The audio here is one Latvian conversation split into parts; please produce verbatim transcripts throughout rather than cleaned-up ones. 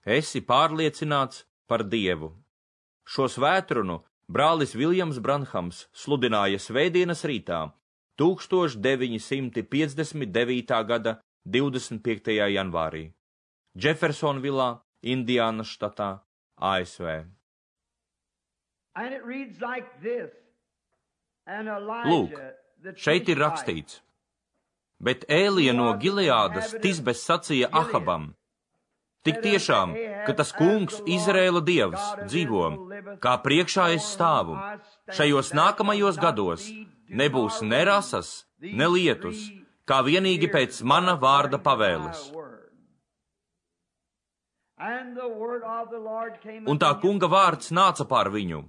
Esi pārliecināts par Dievu. Šo svētrunu brālis Viljams Branhams sludināja svētdienas rītā, tūkstoš deviņi simti piecdesmit devītā gada divdesmit piektajā janvārī, Džefersonvilā, Indiānas štatā, A S V. Lūk, šeit ir rakstīts, bet Ēlija no Gileādas Tisbes sacīja Ahabam, tik tiešām, ka tas kungs, Izraēla dievs, dzīvo, kā priekšā es stāvu, šajos nākamajos gados nebūs ne rasas, ne lietus, kā vienīgi pēc mana vārda pavēles. Un tā kunga vārds nāca pār viņu.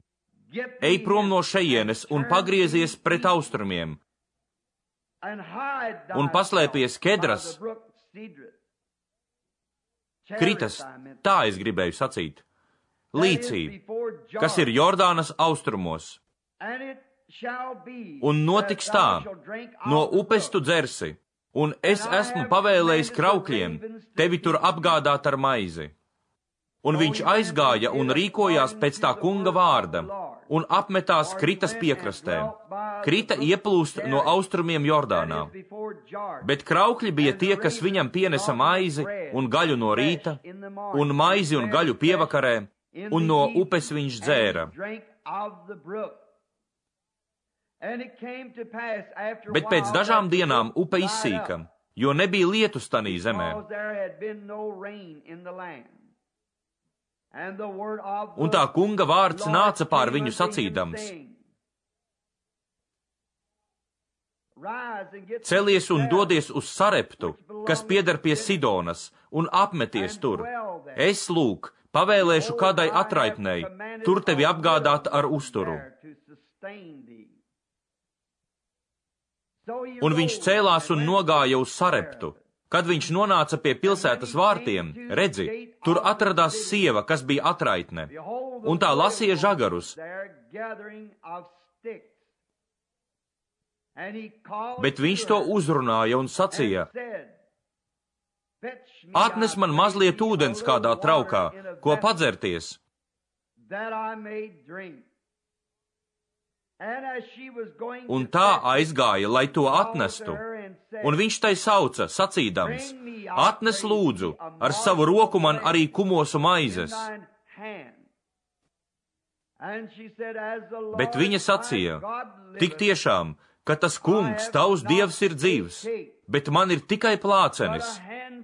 Ej prom no šejienes un pagriezies pret austrumiem, un paslēpies Kedras, Kritas, tā es gribēju sacīt, līcī, kas ir Jordānas austrumos. Un notiks tā, no upes tu dzersi, un es esmu pavēlējis kraukļiem tevi tur apgādāt ar maizi. Un viņš aizgāja un rīkojās pēc tā kunga vārda, un apmetās Kritas piekrastē. Krita ieplūst no austrumiem Jordānā. Bet kraukļi bija tie, kas viņam pienesa maizi un gaļu no rīta, un maizi un gaļu pievakarē, un no upes viņš dzēra. Bet pēc dažām dienām upe izsīka, jo nebija lietus tanī zemē. Un tā kunga vārds nāca pār viņu sacīdams: Celies un dodies uz Sareptu, kas pieder pie Sidonas, un apmeties tur. Es, lūk, pavēlēšu kādai atraitnei, tur tevi apgādāt ar uzturu. Un viņš cēlās un nogāja uz Sareptu. Kad viņš nonāca pie pilsētas vārtiem, redzi, tur atradās sieva, kas bija atraitne, un tā lasīja žagarus. Bet viņš to uzrunāja un sacīja: Atnes man mazliet ūdens kādā traukā, ko padzerties. Un tā aizgāja, lai to atnestu. Un viņš tai sauca, sacīdams: Atnes lūdzu ar savu roku man arī kumosu maizes. Bet viņa sacīja: Tik tiešām, ka tas kungs, tavs dievs ir dzīvs, bet man ir tikai plācenis,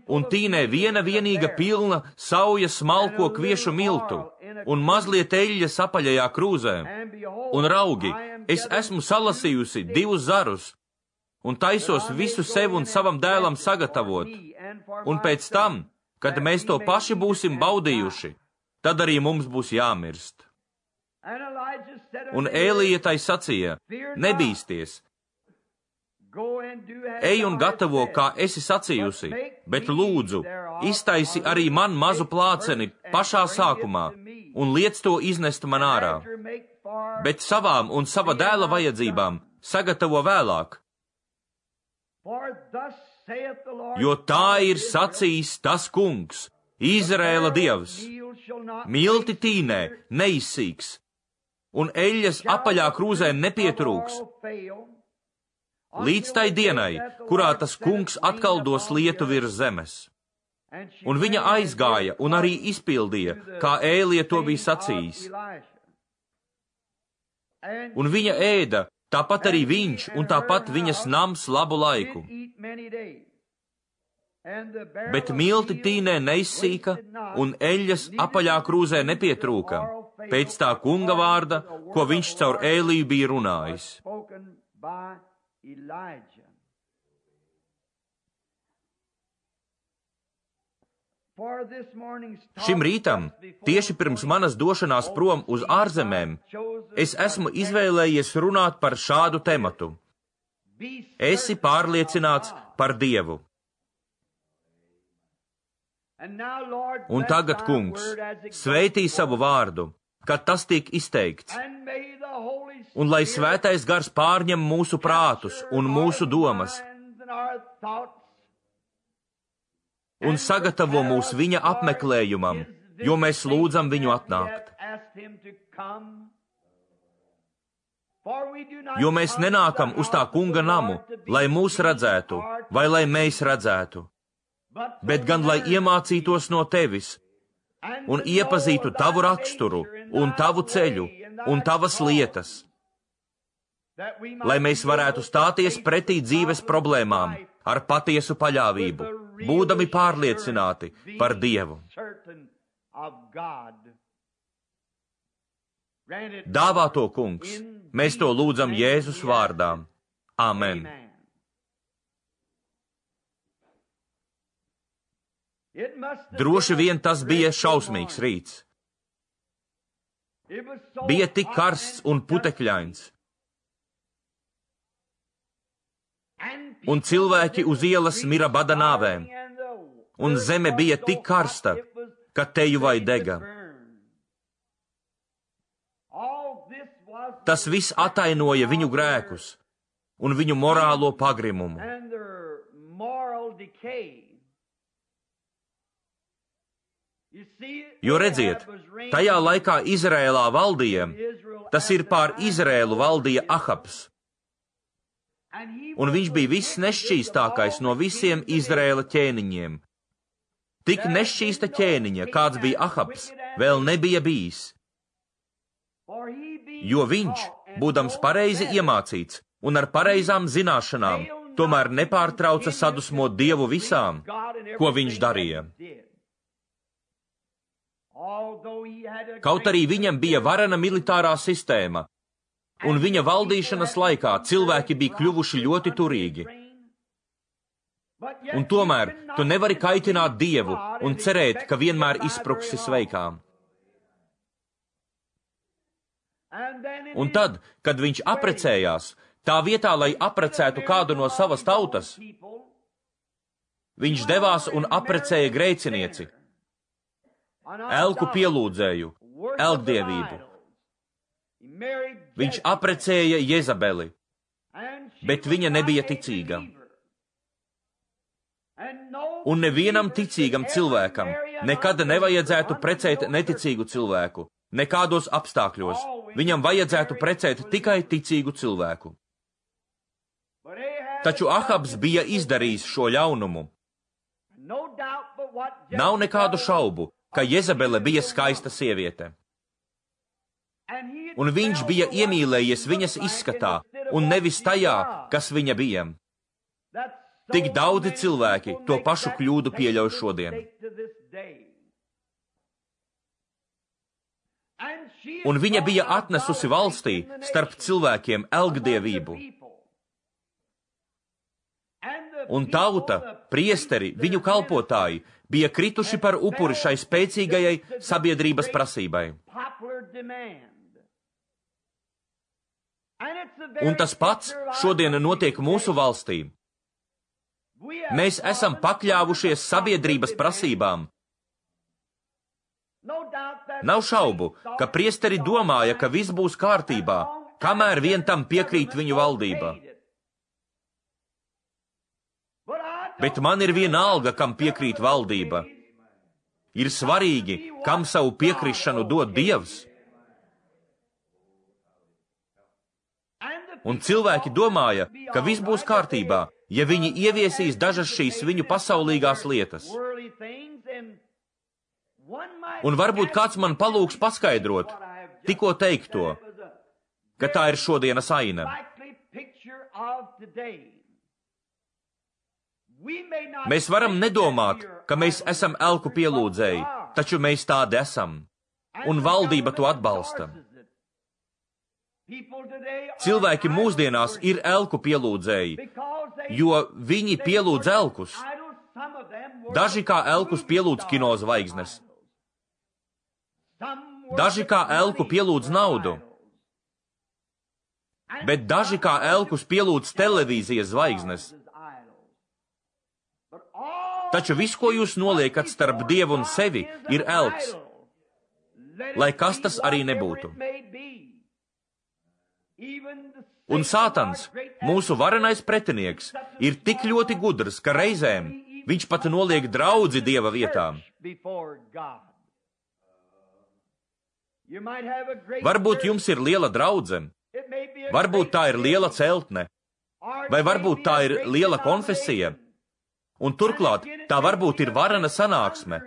un tīnē viena vienīga pilna sauja smalko kviešu miltu, un mazliet eļļas apaļajā krūzē. Un raugi, es esmu salasījusi divus zarus, un taisos visu sev un savam dēlam sagatavot, un pēc tam, kad mēs to paši būsim baudījuši, tad arī mums būs jāmirst. Un Ēlija tai sacīja: Nebīsties, ej un gatavo, kā esi sacījusi, bet lūdzu, iztaisi arī man mazu plāceni pašā sākumā, un liec to iznest man ārā. Bet savām un sava dēla vajadzībām sagatavo vēlāk. Jo tā ir sacījis tas kungs, Izraēla dievs: Milti tīnē neizsīks, un eļļas apaļā krūzē nepietrūks, līdz tai dienai, kurā tas kungs atkal dos lietu virs zemes. Un viņa aizgāja un arī izpildīja, kā Ēlija to bija sacījis. Un viņa ēda, tāpat arī viņš, un tāpat viņas nams labu laiku. Bet milti tīnē neizsīka, un eļļas apaļā krūzē nepietrūka, pēc tā kunga vārda, ko viņš caur Ēliju bija runājis. Šim rītam, tieši pirms manas došanās prom uz ārzemēm, es esmu izvēlējies runāt par šādu tematu. Esi pārliecināts par Dievu. Un tagad, kungs, svētī savu vārdu, kad tas tiek izteikts, un lai svētais gars pārņem mūsu prātus un mūsu domas, un sagatavo mūs viņa apmeklējumam, jo mēs lūdzam viņu atnākt. Jo mēs nenākam uz tā kunga namu, lai mūs redzētu, vai lai mēs redzētu, bet gan lai iemācītos no tevis un iepazītu tavu raksturu un tavu ceļu un tavas lietas, lai mēs varētu stāties pretī dzīves problēmām ar patiesu paļāvību, būdami pārliecināti par Dievu. Dāvā to, kungs, mēs to lūdzam Jēzus vārdā. Amen. Droši vien tas bija šausmīgs rīts. Bija tik karsts un putekļains. Un cilvēki uz ielas mira bada nāvēm. Un zeme bija tik karsta, ka teju vai dega. Tas viss atainoja viņu grēkus un viņu morālo pagrimumu. Jo redziet, tajā laikā Izrēlā valdīja, tas ir pār Izrēlu valdīja Ahabs. Un viņš bija viss nešķīstākais no visiem Izrēla ķēniņiem. Tik nešķīsta ķēniņa, kāds bija Ahabs, vēl nebija bijis. Jo viņš, būdams pareizi iemācīts un ar pareizām zināšanām, tomēr nepārtrauca sadusmot Dievu visām, ko viņš darīja. Kaut arī viņam bija varena militārā sistēma, un viņa valdīšanas laikā cilvēki bija kļuvuši ļoti turīgi. Un tomēr tu nevari kaitināt Dievu un cerēt, ka vienmēr izpruksi sveikām. Un tad, kad viņš aprecējās, tā vietā, lai aprecētu kādu no savas tautas, viņš devās un aprecēja grēcinieci, elku pielūdzēju, elkdievību. Viņš aprecēja Jezabeli, bet viņa nebija ticīga. Un nevienam ticīgam cilvēkam nekad nevajadzētu precēt neticīgu cilvēku, nekādos apstākļos. Viņam vajadzētu precēt tikai ticīgu cilvēku. Taču Ahabs bija izdarījis šo ļaunumu. Nav nekādu šaubu, ka Jezabele bija skaista sieviete. Un viņš bija iemīlējies viņas izskatā, un nevis tajā, kas viņa bija. Tik daudzi cilvēki to pašu kļūdu pieļauj šodien. Un viņa bija atnesusi valstī starp cilvēkiem elkdievību. Un tauta, priesteri, viņu kalpotāji bija krituši par upuri šai spēcīgajai sabiedrības prasībai. Un tas pats šodien notiek mūsu valstī. Mēs esam pakļāvušies sabiedrības prasībām. Nav šaubu, ka priesteri domāja, ka viss būs kārtībā, kamēr vien tam piekrīt viņu valdība. Bet man ir vienalga, kam piekrīt valdība. Ir svarīgi, kam savu piekrišanu dod Dievs. Un cilvēki domāja, ka viss būs kārtībā, ja viņi ieviesīs dažas šīs viņu pasaulīgās lietas. Un varbūt kāds man palūgs paskaidrot, tikko teikto, ka tā ir šodienas aina. Mēs varam nedomāt, ka mēs esam elku pielūdzēji, taču mēs tādi esam, un valdība to atbalsta. Cilvēki mūsdienās ir elku pielūdzēji, jo viņi pielūdz elkus. Daži kā elkus pielūdz kino zvaigznes. Daži kā elku pielūdz naudu, bet daži kā elkus pielūdz televīzijas zvaigznes. Taču viss, ko jūs noliekat starp Dievu un sevi, ir elks, lai kas tas arī nebūtu. Un Sātans, mūsu varenais pretinieks, ir tik ļoti gudrs, ka reizēm viņš pat noliek draudzi Dieva vietām. Varbūt jums ir liela draudze, varbūt tā ir liela celtne, vai varbūt tā ir liela konfesija, un turklāt tā varbūt ir varena sanāksme,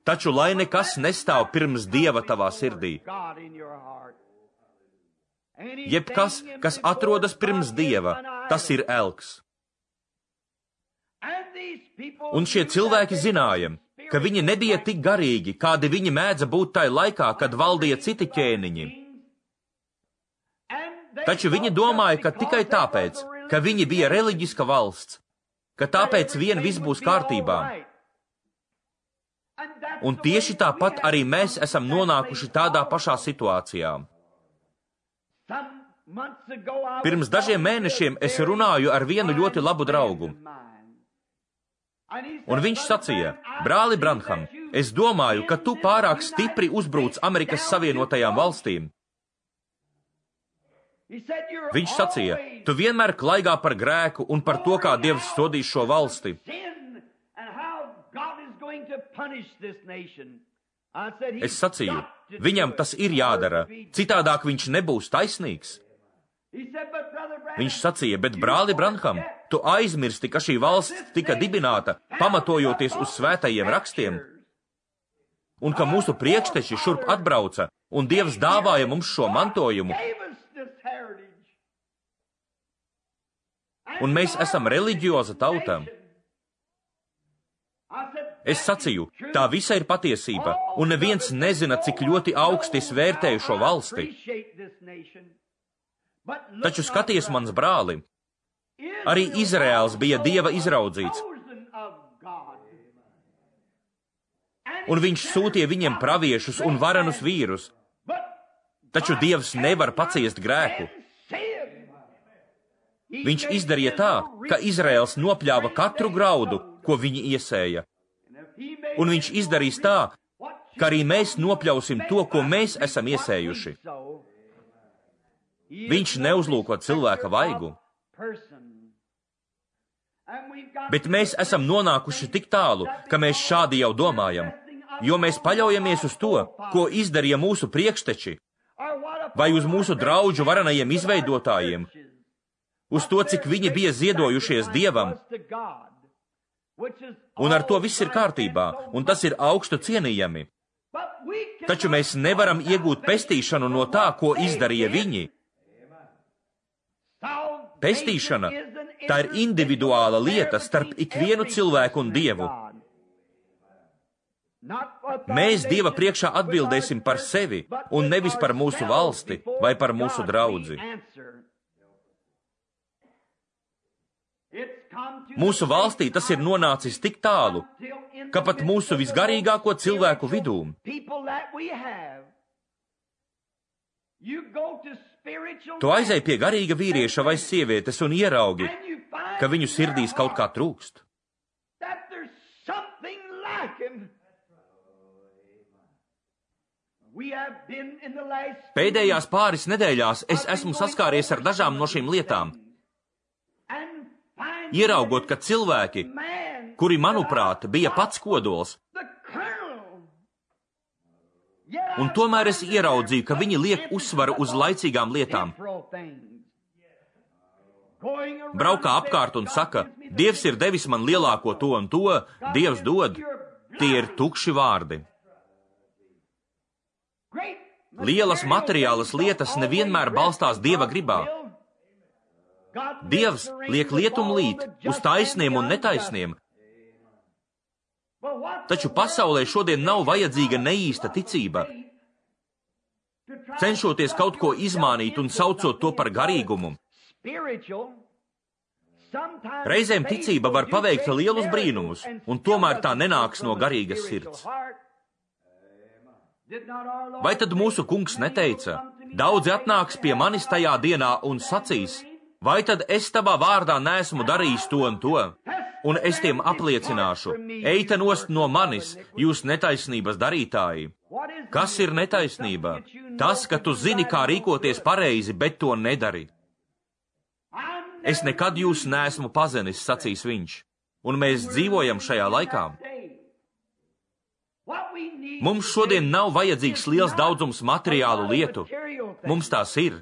taču lai nekas nestāv pirms Dieva tavā sirdī. Jebkas, kas atrodas pirms Dieva, tas ir elks. Un šie cilvēki zināja, ka viņi nebija tik garīgi, kādi viņi mēdza būt tai laikā, kad valdīja citi ķēniņi. Taču viņi domāja, ka tikai tāpēc, ka viņi bija reliģiska valsts, ka tāpēc vien viss būs kārtībā. Un tieši tāpat arī mēs esam nonākuši tādā pašā situācijā. Pirms dažiem mēnešiem es runāju ar vienu ļoti labu draugu. Un viņš sacīja, brāli Branham, es domāju, ka tu pārāk stipri uzbruc Amerikas Savienotajām valstīm. Viņš sacīja, tu vienmēr klaigā par grēku un par to, kā Dievs sodīs šo valsti. Es sacīju, viņam tas ir jādara, citādāk viņš nebūs taisnīgs. Viņš sacīja, bet brāli Branham, tu aizmirsti, ka šī valsts tika dibināta, pamatojoties uz svētajiem rakstiem, un ka mūsu priekšteči šurp atbrauca, un Dievs dāvāja mums šo mantojumu. Un mēs esam reliģioza tauta. Es sacīju, tā visa ir patiesība, un neviens nezina, cik ļoti augsti es vērtēju šo valsti. Taču skaties, mans brāli, arī Izraēls bija Dieva izraudzīts, un viņš sūtīja viņiem praviešus un varenus vīrus, taču Dievs nevar paciest grēku. Viņš izdarīja tā, ka Izraēls nopļāva katru graudu, ko viņi iesēja, un viņš izdarīs tā, ka arī mēs nopļausim to, ko mēs esam iesējuši. Viņš neuzlūko cilvēka vaigu. Bet mēs esam nonākuši tik tālu, ka mēs šādi jau domājam, jo mēs paļaujamies uz to, ko izdarīja mūsu priekšteči, vai uz mūsu draudžu varenajiem izveidotājiem, uz to, cik viņi bija ziedojušies Dievam. Un ar to viss ir kārtībā, un tas ir augstu cienījami. Taču mēs nevaram iegūt pestīšanu no tā, ko izdarīja viņi. Pestīšana, tā ir individuāla lieta starp ikvienu cilvēku un Dievu. Mēs Dieva priekšā atbildēsim par sevi, un nevis par mūsu valsti vai par mūsu draudzi. Mūsu valstī tas ir nonācis tik tālu, ka pat mūsu visgarīgāko cilvēku vidū tu aizej pie garīga vīrieša vai sievietes un ieraugi, ka viņu sirdīs kaut kā trūkst. Pēdējās pāris nedēļās es esmu saskāries ar dažām no šīm lietām. Ieraugot, ka cilvēki, kuri, manuprāt, bija pats kodols, un tomēr es ieraudzīju, ka viņi liek uzsvaru uz laicīgām lietām. Braukā apkārt un saka, Dievs ir devis man lielāko to un to, Dievs dod. Tie ir tukši vārdi. Lielas materiālas lietas nevienmēr balstās Dieva gribā. Dievs liek lietum līt uz taisniem un netaisniem. Taču pasaulē šodien nav vajadzīga neīsta ticība. Cenšoties kaut ko izmānīt un saucot to par garīgumu. Reizēm ticība var paveikt lielus brīnumus, un tomēr tā nenāks no garīgas sirds. Vai tad mūsu kungs neteica, daudzi atnāks pie manis tajā dienā un sacīs, vai tad es tavā vārdā neesmu darījis to un to? Un es tiem apliecināšu, eita nost no manis, jūs netaisnības darītāji. Kas ir netaisnība? Tas, ka tu zini, kā rīkoties pareizi, bet to nedari. Es nekad jūs neesmu pazinis, sacīs viņš, un mēs dzīvojam šajā laikā. Mums šodien nav vajadzīgs liels daudzums materiālu lietu. Mums tās ir.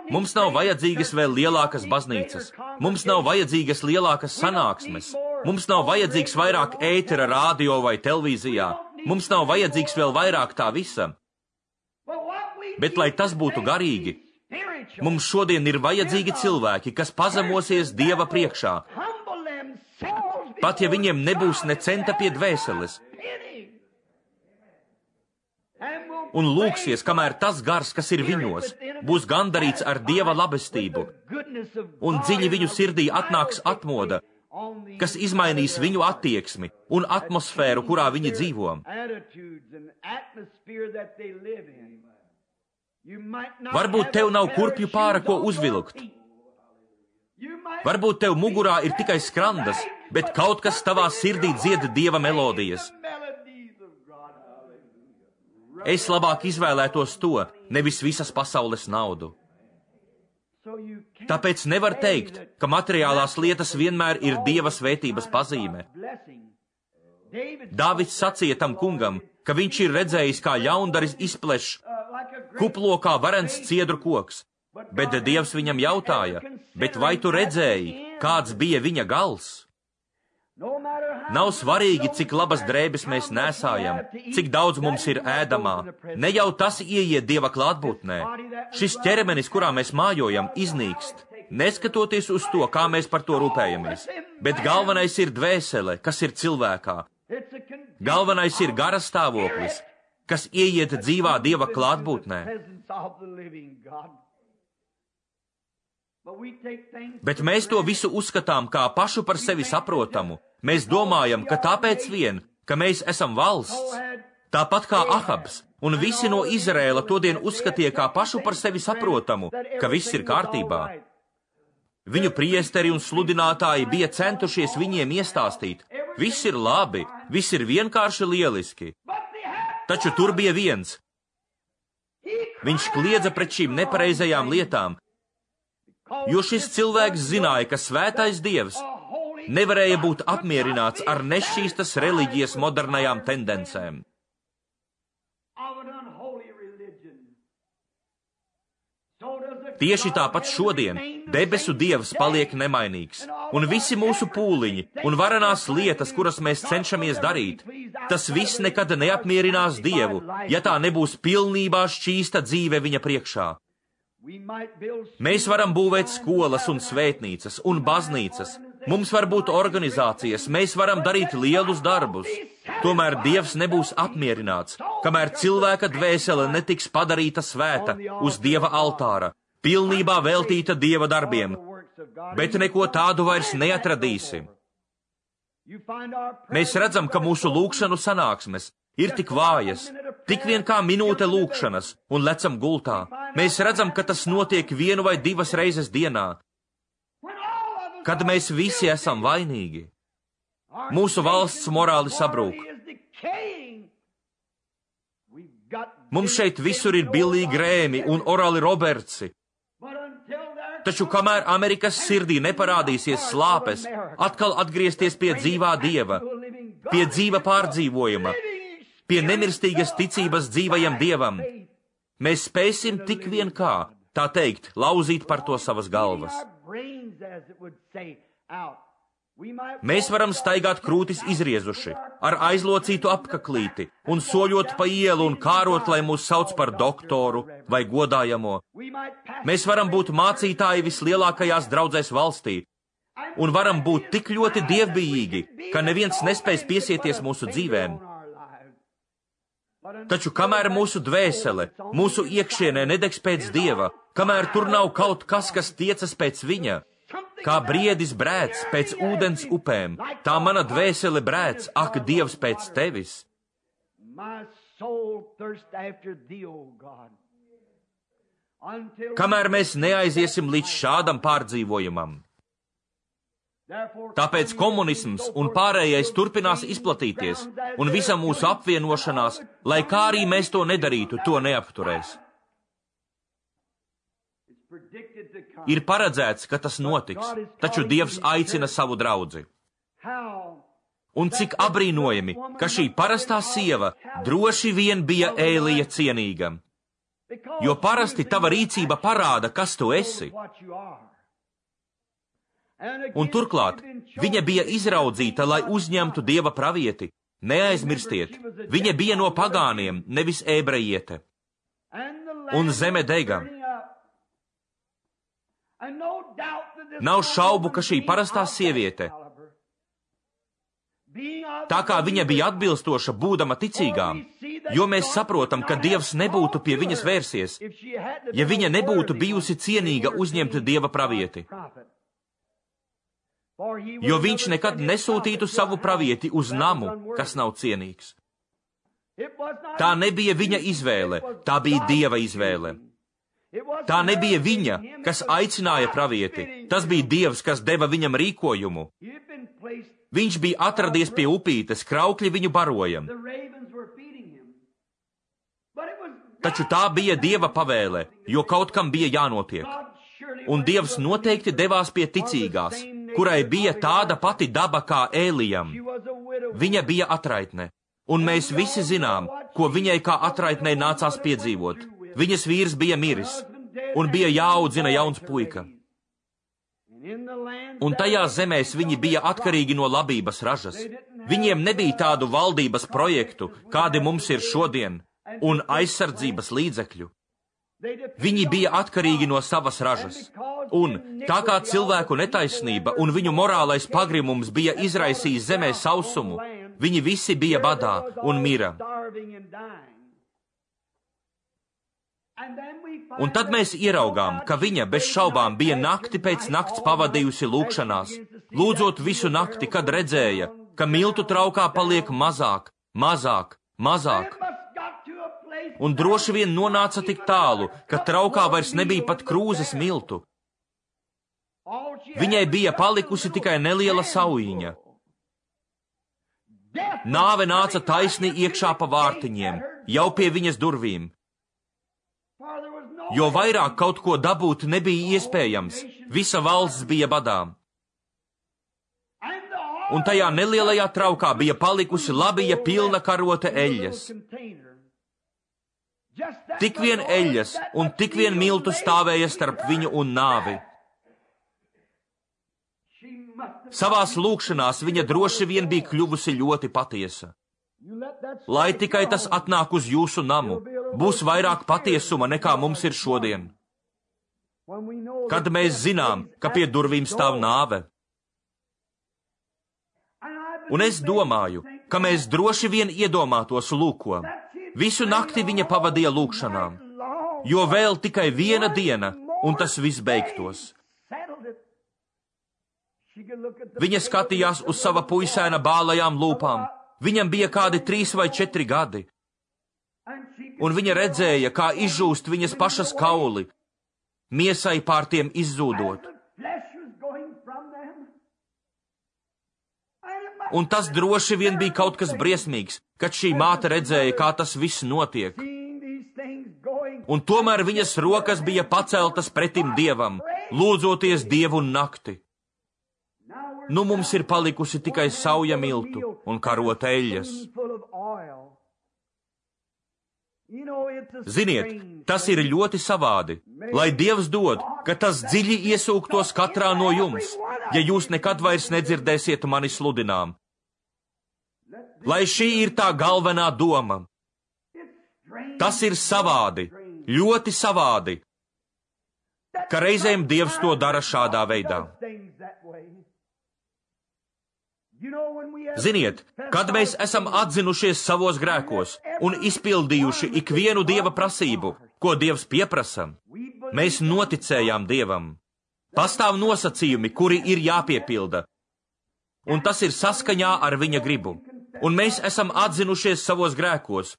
Mums nav vajadzīgas vēl lielākas baznīcas. Mums nav vajadzīgas lielākas sanāksmes. Mums nav vajadzīgs vairāk ētera, rādio vai televīzijā. Mums nav vajadzīgs vēl vairāk tā visa. Bet, lai tas būtu garīgi, mums šodien ir vajadzīgi cilvēki, kas pazemosies Dieva priekšā, pat ja viņiem nebūs ne centa pie dvēseles, un lūgsies, kamēr tas gars, kas ir viņos, būs gandarīts ar Dieva labestību, un dziļi viņu sirdī atnāks atmoda, kas izmainīs viņu attieksmi un atmosfēru, kurā viņi dzīvo. Varbūt tev nav kurpju pāra, ko uzvilkt. Varbūt tev mugurā ir tikai skrandas, bet kaut kas tavā sirdī dzied Dieva melodijas. Es labāk izvēlētos to, nevis visas pasaules naudu. Tāpēc nevar teikt, ka materiālās lietas vienmēr ir Dieva svētības pazīme. Dāvids sacīja tam kungam, ka viņš ir redzējis, kā ļaundaris izpleš kuplo kā varens ciedru koks, bet Dievs viņam jautāja, bet vai tu redzēji, kāds bija viņa gals? Nav svarīgi, cik labas drēbes mēs nēsājam, cik daudz mums ir ēdamā. Ne jau tas ieiet Dieva klātbūtnē. Šis ķermenis, kurā mēs mājojam, iznīkst, neskatoties uz to, kā mēs par to rūpējamies. Bet galvenais ir dvēsele, kas ir cilvēkā. Galvenais ir gara stāvoklis, kas ieiet dzīvā Dieva klātbūtnē. Bet mēs to visu uzskatām kā pašu par sevi saprotamu. Mēs domājam, ka tāpēc vien, ka mēs esam valsts, tāpat kā Ahabs, un visi no Izraēla todien uzskatīja kā pašu par sevi saprotamu, ka viss ir kārtībā. Viņu priesteri un sludinātāji bija centušies viņiem iestāstīt, viss ir labi, viss ir vienkārši lieliski. Taču tur bija viens. Viņš kliedza pret šīm nepareizajām lietām, jo šis cilvēks zināja, ka svētais Dievs nevarēja būt apmierināts ar nešķīstas reliģijas modernajām tendencēm. Tieši tāpat šodien debesu Dievs paliek nemainīgs, un visi mūsu pūliņi un varenās lietas, kuras mēs cenšamies darīt, tas viss nekad neapmierinās Dievu, ja tā nebūs pilnībā šķīsta dzīve viņa priekšā. Mēs varam būvēt skolas un svētnīcas un baznīcas, mums var būt organizācijas, mēs varam darīt lielus darbus. Tomēr Dievs nebūs apmierināts, kamēr cilvēka dvēsele netiks padarīta svēta uz Dieva altāra, pilnībā veltīta Dieva darbiem, bet neko tādu vairs neatradīsim. Mēs redzam, ka mūsu lūgšanu sanāksmes ir tik vājas, tik vien kā minūte lūgšanas, un lecam gultā. Mēs redzam, ka tas notiek vienu vai divas reizes dienā, kad mēs visi esam vainīgi. Mūsu valsts morāli sabrūk. Mums šeit visur ir Billī Grēmi un Orali Robertsi. Taču kamēr Amerikas sirdī neparādīsies slāpes, atkal atgriezties pie dzīvā Dieva, pie dzīva pārdzīvojuma, pie nemirstīgas ticības dzīvajam Dievam, mēs spēsim tik vien kā, tā teikt, lauzīt par to savas galvas. Mēs varam staigāt krūtis izriezuši, ar aizlocītu apkaklīti, un soļot pa ielu un kārot, lai mūs sauc par doktoru vai godājamo. Mēs varam būt mācītāji vislielākajās draudzēs valstī, un varam būt tik ļoti dievbijīgi, ka neviens nespēs piesieties mūsu dzīvēm. Taču kamēr mūsu dvēsele, mūsu iekšienē nedegs pēc Dieva, kamēr tur nav kaut kas, kas tiecas pēc viņa, kā briedis brēc pēc ūdens upēm, tā mana dvēsele brēc, ak, Dievs, pēc tevis. Kamēr mēs neaiziesim līdz šādam pārdzīvojumam. Tāpēc komunisms un pārējais turpinās izplatīties, un visa mūsu apvienošanās, lai kā arī mēs to nedarītu, to neapturēs. Ir paredzēts, ka tas notiks, taču Dievs aicina savu draudzi. Un cik abrīnojami, ka šī parastā sieva droši vien bija Ēlija cienīga. Jo parasti tava rīcība parāda, kas tu esi. Un turklāt, viņa bija izraudzīta, lai uzņemtu Dieva pravieti. Neaizmirstiet, viņa bija no pagāniem, nevis ebrejiete. Un zeme dega. Nav šaubu, ka šī parastā sieviete, tā kā viņa bija atbilstoša būdama ticīgām, jo mēs saprotam, ka Dievs nebūtu pie viņas vērsies, ja viņa nebūtu bijusi cienīga uzņemt Dieva pravieti. Jo viņš nekad nesūtītu savu pravieti uz namu, kas nav cienīgs. Tā nebija viņa izvēle, tā bija Dieva izvēle. Tā nebija viņa, kas aicināja pravieti, tas bija Dievs, kas deva viņam rīkojumu. Viņš bija atradies pie upītes, kraukļi viņu baroja. Taču tā bija Dieva pavēle, jo kaut kam bija jānotiek. Un Dievs noteikti devās pie ticīgās, kurai bija tāda pati daba kā Ēlijam. Viņa bija atraitne, un mēs visi zinām, ko viņai kā atraitnei nācās piedzīvot. Viņas vīrs bija miris, un bija jāaudzina jauns puika. Un tajā zemēs viņi bija atkarīgi no labības ražas. Viņiem nebija tādu valdības projektu, kādi mums ir šodien, un aizsardzības līdzekļu. Viņi bija atkarīgi no savas ražas. Un tā kā cilvēku netaisnība un viņu morālais pagrimums bija izraisījis zemē sausumu, viņi visi bija badā un mira. Un tad mēs ieraugām, ka viņa bez šaubām bija nakti pēc nakts pavadījusi lūkšanās, lūdzot visu nakti, kad redzēja, ka miltu traukā paliek mazāk, mazāk, mazāk. Un droši vien nonāca tik tālu, ka traukā vairs nebija pat krūzes miltu. Viņai bija palikusi tikai neliela saujiņa. Nāve nāca taisni iekšā pa vārtiņiem, jau pie viņas durvīm. Jo vairāk kaut ko dabūt nebija iespējams, visa valsts bija badā. Un tajā nelielajā traukā bija palikusi labija pilna karote eļļas. Tik vien eļļas un tik vien miltu stāvēja starp viņu un nāvi. Savās lūkšanās viņa droši vien bija kļuvusi ļoti patiesa. Lai tikai tas atnāk uz jūsu namu, būs vairāk patiesuma nekā mums ir šodien. Kad mēs zinām, ka pie durvīm stāv nāve. Un es domāju, ka mēs droši vien iedomātos lūko. Visu nakti viņa pavadīja lūkšanām, jo vēl tikai viena diena, un tas viss beigtos. Viņa skatījās uz sava puisēna bālajām lūpām. Viņam bija kādi trīs vai četri gadi. Un viņa redzēja, kā izžūst viņas pašas kauli, miesai pār tiem izzūdot. Un tas droši vien bija kaut kas briesmīgs, kad šī māte redzēja, kā tas viss notiek. Un tomēr viņas rokas bija paceltas pretim Dievam, lūdzoties Dievu nakti. Nu mums ir palikusi tikai sauja miltu un karota eļļas. Ziniet, tas ir ļoti savādi, lai Dievs dod, ka tas dziļi iesūktos katrā no jums, ja jūs nekad vairs nedzirdēsiet mani sludinām. Lai šī ir tā galvenā doma. Tas ir savādi, ļoti savādi, ka reizēm Dievs to dara šādā veidā. Ziniet, kad mēs esam atzinušies savos grēkos un izpildījuši ikvienu Dieva prasību, ko Dievs pieprasa, mēs noticējām Dievam. Pastāv nosacījumi, kuri ir jāpiepilda, un tas ir saskaņā ar viņa gribu. Un mēs esam atzinušies savos grēkos,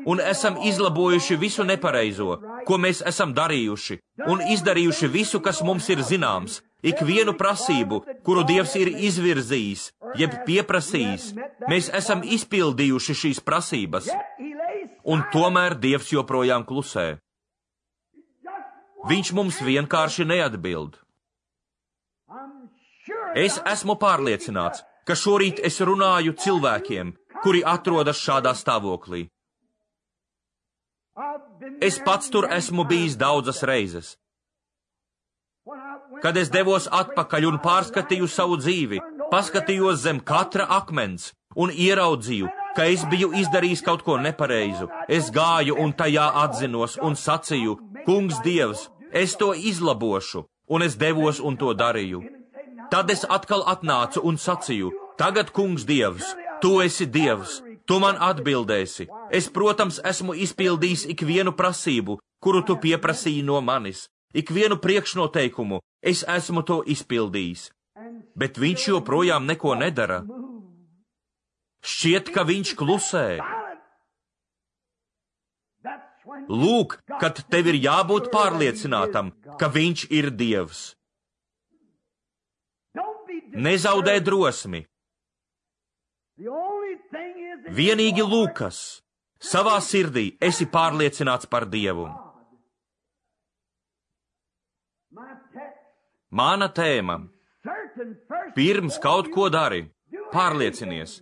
un esam izlabojuši visu nepareizo, ko mēs esam darījuši, un izdarījuši visu, kas mums ir zināms, ikvienu prasību, kuru Dievs ir izvirzījis, jeb pieprasījis, mēs esam izpildījuši šīs prasības, un tomēr Dievs joprojām klusē. Viņš mums vienkārši neatbild. Es esmu pārliecināts, ka šorīt es runāju cilvēkiem, kuri atrodas šādā stāvoklī. Es pats tur esmu bijis daudzas reizes. Kad es devos atpakaļ un pārskatīju savu dzīvi, paskatījos zem katra akmens un ieraudzīju, ka es biju izdarījis kaut ko nepareizu. Es gāju un tajā atzinos un sacīju, Kungs Dievs, es to izlabošu, un es devos un to darīju. Tad es atkal atnācu un sacīju, tagad, Kungs Dievs, tu esi Dievs, tu man atbildēsi. Es, protams, esmu izpildījis ikvienu prasību, kuru tu pieprasīji no manis. Ikvienu priekšnoteikumu es esmu to izpildījis. Bet viņš joprojām neko nedara. Šķiet, ka viņš klusē. Lūk, kad tev ir jābūt pārliecinātam, ka viņš ir Dievs. Nezaudē drosmi. Vienīgi Lūkas, savā sirdī esi pārliecināts par Dievu. Mana tēma. Pirms kaut ko dari, pārliecinies.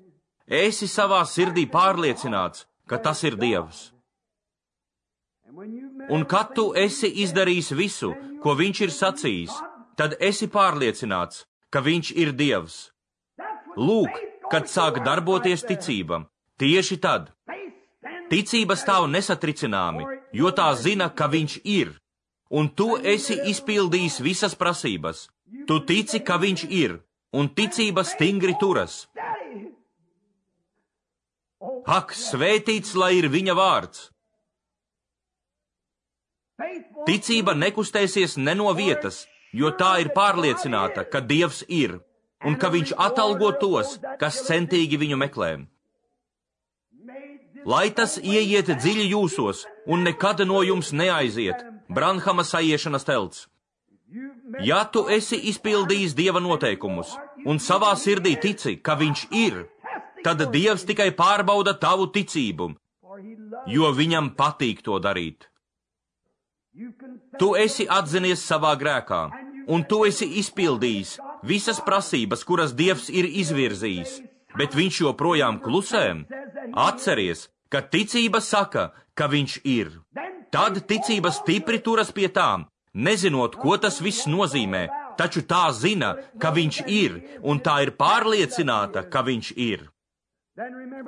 Esi savā sirdī pārliecināts, ka tas ir Dievs. Un kad tu esi izdarījis visu, ko viņš ir sacījis, tad esi pārliecināts, ka viņš ir Dievs. Lūk, kad sāk darboties ticība, tieši tad. Ticība stāv nesatricināmi, jo tā zina, ka viņš ir. Un tu esi izpildījis visas prasības. Tu tici, ka viņš ir, un ticība stingri turas. Ak, svētīts, lai ir viņa vārds! Ticība nekustēsies ne no vietas, jo tā ir pārliecināta, ka Dievs ir, un ka viņš atalgo tos, kas centīgi viņu meklē. Lai tas ieiet dziļi jūsos, un nekad no jums neaiziet, Branhama sajiešanas telts. Ja tu esi izpildījis Dieva noteikumus, un savā sirdī tici, ka viņš ir, tad Dievs tikai pārbauda tavu ticību, jo viņam patīk to darīt. Tu esi atzinies savā grēkā, un tu esi izpildījis visas prasības, kuras Dievs ir izvirzījis, bet viņš joprojām klusē. Atceries, ka ticība saka, ka viņš ir. Tad ticība stipri turas pie tām, nezinot, ko tas viss nozīmē, taču tā zina, ka viņš ir, un tā ir pārliecināta, ka viņš ir.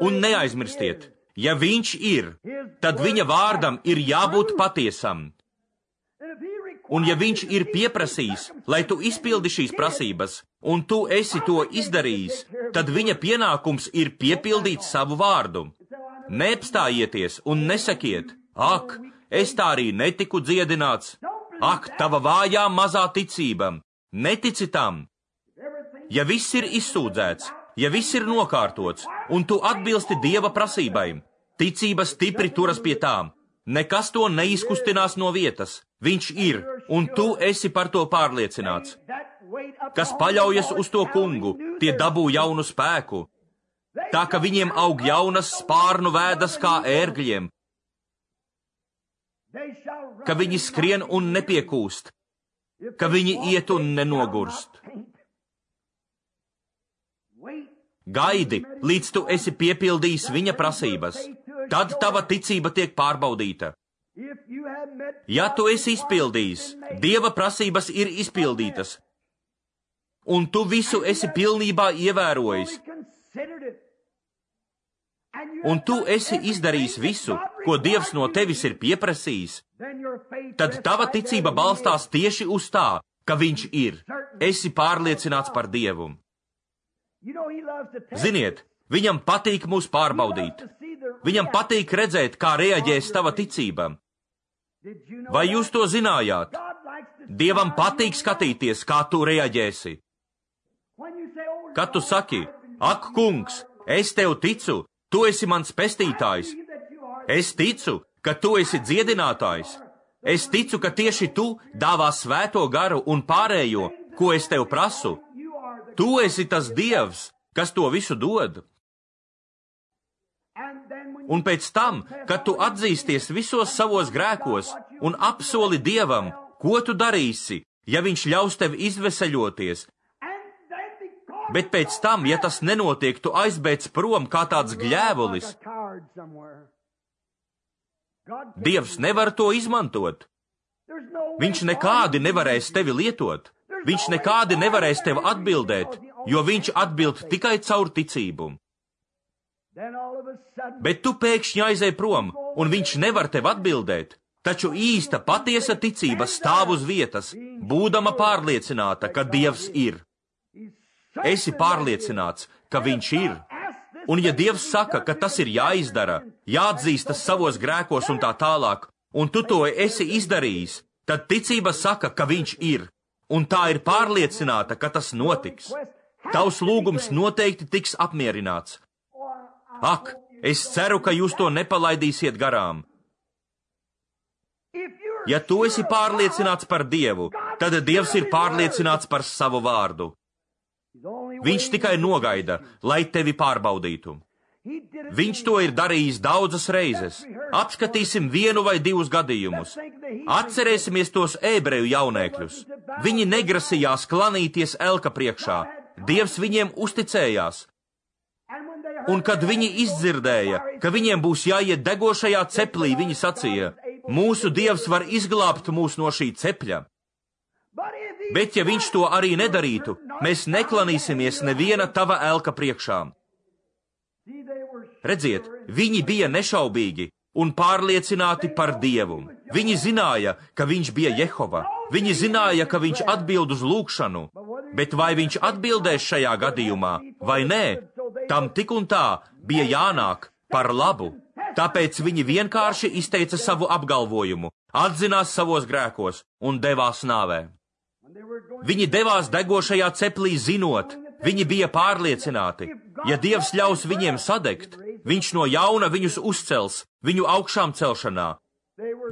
Un neaizmirstiet, ja viņš ir, tad viņa vārdam ir jābūt patiesam. Un ja viņš ir pieprasījis, lai tu izpildi šīs prasības, un tu esi to izdarījis, tad viņa pienākums ir piepildīt savu vārdu. Neapstājieties un nesakiet, ak, es tā arī netiku dziedināts, ak, tava vājā mazā ticība, netici tam. Ja viss ir izsūdzēts, ja viss ir nokārtots, un tu atbilsti Dieva prasībai, ticība stipri turas pie tām, nekas to neizkustinās no vietas, viņš ir, un tu esi par to pārliecināts. Kas paļaujas uz to kungu, tie dabū jaunu spēku, tā ka viņiem aug jaunas spārnu vēdas kā ērgļiem, ka viņi skrien un nepiekūst, ka viņi iet un nenogurst. Gaidi, līdz tu esi piepildījis viņa prasības, tad tava ticība tiek pārbaudīta. Ja tu esi izpildījis, Dieva prasības ir izpildītas, un tu visu esi pilnībā ievērojis, un tu esi izdarījis visu, ko Dievs no tevis ir pieprasījis, tad tava ticība balstās tieši uz tā, ka viņš ir. Esi pārliecināts par Dievu. Ziniet, viņam patīk mūs pārbaudīt. Viņam patīk redzēt, kā reaģēs tava ticība. Vai jūs to zinājāt? Dievam patīk skatīties, kā tu reaģēsi. Kad tu saki, ak, kungs, es tev ticu, tu esi mans pestītājs. Es ticu, ka tu esi dziedinātājs. Es ticu, ka tieši tu dāvā svēto garu un pārējo, ko es tev prasu. Tu esi tas Dievs, kas to visu dod. Un pēc tam, kad tu atzīsties visos savos grēkos un apsoli Dievam, ko tu darīsi, ja viņš ļaus tev izveseļoties, Bet pēc tam, ja tas nenotiek, tu aizbēdz prom kā tāds gļēvulis. Dievs nevar to izmantot. Viņš nekādi nevarēs tevi lietot. Viņš nekādi nevarēs tev atbildēt, jo viņš atbild tikai caur ticību. Bet tu pēkšņi aizej prom, un viņš nevar tev atbildēt. Taču īsta patiesa ticība stāv uz vietas, būdama pārliecināta, ka Dievs ir. Esi pārliecināts, ka viņš ir. Un ja Dievs saka, ka tas ir jāizdara, jāatzīstas savos grēkos un tā tālāk, un tu to esi izdarījis, tad ticība saka, ka viņš ir. Un tā ir pārliecināta, ka tas notiks. Tavs lūgums noteikti tiks apmierināts. Ak, es ceru, ka jūs to nepalaidīsiet garām. Ja tu esi pārliecināts par Dievu, tad Dievs ir pārliecināts par savu vārdu. Viņš tikai nogaida, lai tevi pārbaudītu. Viņš to ir darījis daudzas reizes. Apskatīsim vienu vai divus gadījumus. Atcerēsimies tos ebreju jaunēkļus. Viņi negrasījās klanīties elka priekšā. Dievs viņiem uzticējās. Un kad viņi izdzirdēja, ka viņiem būs jāiet degošajā ceplī, viņi sacīja, mūsu Dievs var izglābt mūs no šī cepļa. Bet ja viņš to arī nedarītu, mēs neklanīsimies neviena tava elka priekšā. Redziet, viņi bija nešaubīgi un pārliecināti par Dievu. Viņi zināja, ka viņš bija Jehova. Viņi zināja, ka viņš atbild uz lūgšanu. Bet vai viņš atbildēs šajā gadījumā, vai nē, tam tik un tā bija jānāk par labu. Tāpēc viņi vienkārši izteica savu apgalvojumu, atzinās savos grēkos un devās nāvē. Viņi devās degošajā ceplī zinot, viņi bija pārliecināti, ja Dievs ļaus viņiem sadegt, viņš no jauna viņus uzcels, viņu augšām celšanā.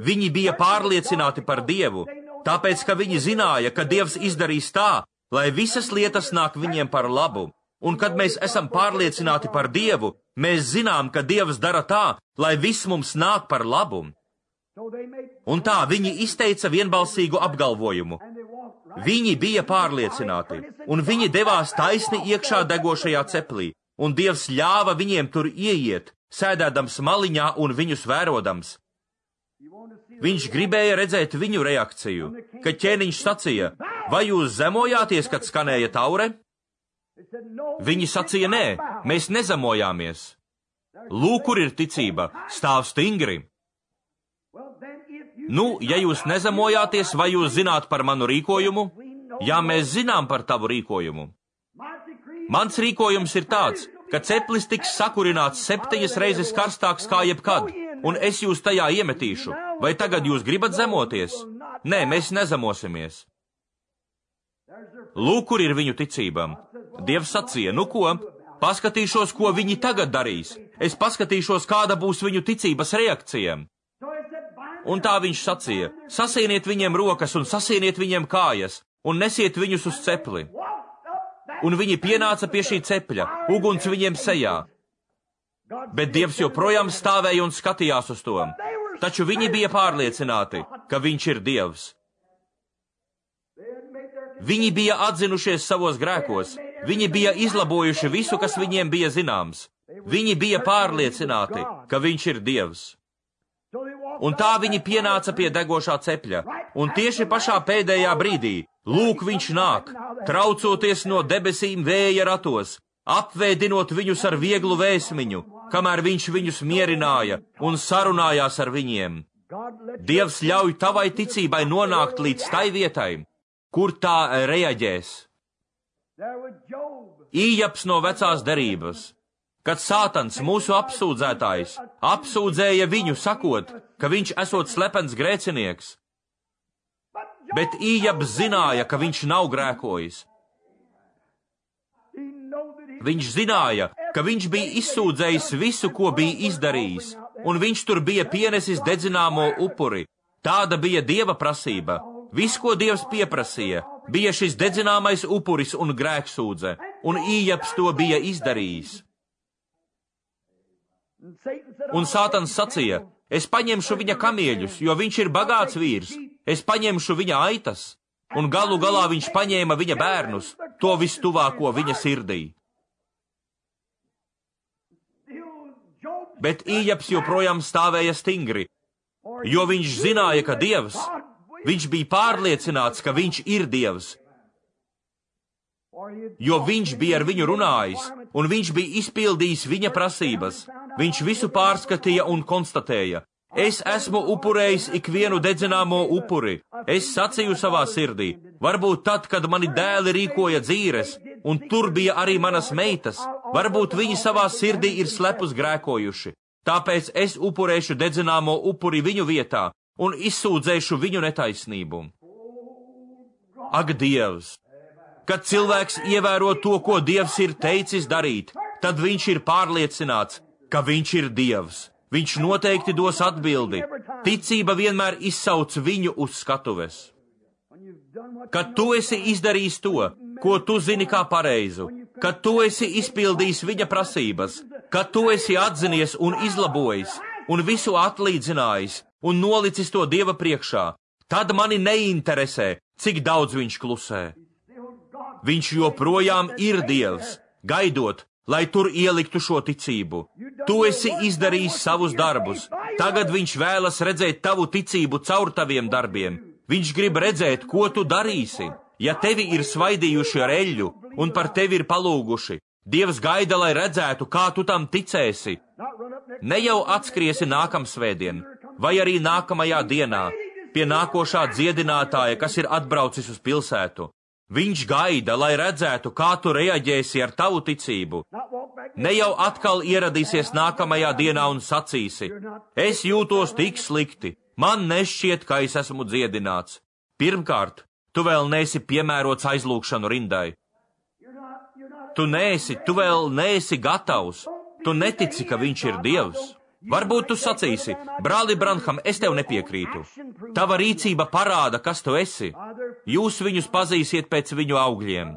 Viņi bija pārliecināti par Dievu, tāpēc, ka viņi zināja, ka Dievs izdarīs tā, lai visas lietas nāk viņiem par labu. Un kad mēs esam pārliecināti par Dievu, mēs zinām, ka Dievs dara tā, lai viss mums nāk par labu. Un tā viņi izteica vienbalsīgu apgalvojumu. Viņi bija pārliecināti, un viņi devās taisni iekšā degošajā ceplī, un Dievs ļāva viņiem tur ieiet, sēdēdams maliņā un viņus vērodams. Viņš gribēja redzēt viņu reakciju, kad ķēniņš sacīja, vai jūs zemojāties, kad skanēja taure? Viņi sacīja, nē, mēs nezemojāmies. Lūk, kur ir ticība, stāv stingri. Nu, ja jūs nezemojāties, vai jūs zināt par manu rīkojumu? Jā, mēs zinām par tavu rīkojumu. Mans rīkojums ir tāds, ka ceplis tiks sakurināts septiņas reizes karstāks kā jebkad, un es jūs tajā iemetīšu. Vai tagad jūs gribat zemoties? Nē, mēs nezemosimies. Lūk, kur ir viņu ticība. Dievs sacīja, nu ko, paskatīšos, ko viņi tagad darīs. Es paskatīšos, kāda būs viņu ticības reakcija. Un tā viņš sacīja, sasieniet viņiem rokas un sasieniet viņiem kājas, un nesiet viņus uz cepli. Un viņi pienāca pie šī cepļa, uguns viņiem sejā. Bet Dievs joprojām stāvēja un skatījās uz to. Taču viņi bija pārliecināti, ka viņš ir Dievs. Viņi bija atzinušies savos grēkos, viņi bija izlabojuši visu, kas viņiem bija zināms. Viņi bija pārliecināti, ka viņš ir Dievs. Un tā viņi pienāca pie degošā cepļa, un tieši pašā pēdējā brīdī, lūk, viņš nāk, traucoties no debesīm vēja ratos, apvēdinot viņus ar vieglu vēsmiņu, kamēr viņš viņus mierināja un sarunājās ar viņiem. Dievs ļauj tavai ticībai nonākt līdz tai vietai, kur tā reaģēs. Ījabs no vecās derības, kad Sātans, mūsu apsūdzētājs, apsūdzēja viņu, sakot, ka viņš esot slepens grēcinieks. Bet Ījabs zināja, ka viņš nav grēkojis. Viņš zināja, ka viņš bija izsūdzējis visu, ko bija izdarījis, un viņš tur bija pienesis dedzināmo upuri. Tāda bija Dieva prasība. Viss, ko Dievs pieprasīja, bija šis dedzināmais upuris un grēksūdze, un Ījabs to bija izdarījis. Un Sātans sacīja, es paņemšu viņa kamieļus, jo viņš ir bagāts vīrs, es paņemšu viņa aitas. un galu galā viņš paņēma viņa bērnus, to vistuvāko viņa sirdī. Bet Ījabs joprojām stāvēja stingri, jo viņš zināja, ka Dievs, viņš bija pārliecināts, ka viņš ir Dievs, jo viņš bija ar viņu runājis, un viņš bija izpildījis viņa prasības. Viņš visu pārskatīja un konstatēja: es esmu upurējis ikvienu dedzināmo upuri. Es sacīju savā sirdī, varbūt tad, kad mani dēli rīkoja dzīres, un tur bija arī manas meitas, varbūt viņi savā sirdī ir slepus grēkojuši. Tāpēc es upurēšu dedzināmo upuri viņu vietā un izsūdzēšu viņu netaisnību. Ak, Dievs! Kad cilvēks ievēro to, ko Dievs ir teicis darīt, tad viņš ir pārliecināts, ka viņš ir Dievs. Viņš noteikti dos atbildi. Ticība vienmēr izsauc viņu uz skatuves. Kad tu esi izdarījis to, ko tu zini kā pareizu, kad tu esi izpildījis viņa prasības, kad tu esi atzinies un izlabojis, un visu atlīdzinājis, un nolicis to Dieva priekšā, tad mani neinteresē, cik daudz viņš klusē. Viņš joprojām ir Dievs, gaidot, lai tur ieliktu šo ticību. Tu esi izdarījis savus darbus. Tagad viņš vēlas redzēt tavu ticību caur taviem darbiem. Viņš grib redzēt, ko tu darīsi. Ja tevi ir svaidījuši ar eļļu un par tevi ir palūguši, Dievs gaida, lai redzētu, kā tu tam ticēsi. Ne jau atskriesi nākamsvētdien, vai arī nākamajā dienā, pie nākošā dziedinātāja, kas ir atbraucis uz pilsētu. Viņš gaida, lai redzētu, kā tu reaģēsi ar tavu ticību. Ne jau atkal ieradīsies nākamajā dienā un sacīsi: es jūtos tik slikti, man nešķiet, ka es esmu dziedināts. Pirmkārt, tu vēl neesi piemērots aizlūgšanu rindai. Tu neesi, tu vēl neesi gatavs, tu netici, ka viņš ir Dievs. Varbūt tu sacīsi: brāli Branham, es tev nepiekrītu. Tava rīcība parāda, kas tu esi. Jūs viņus pazīsiet pēc viņu augļiem.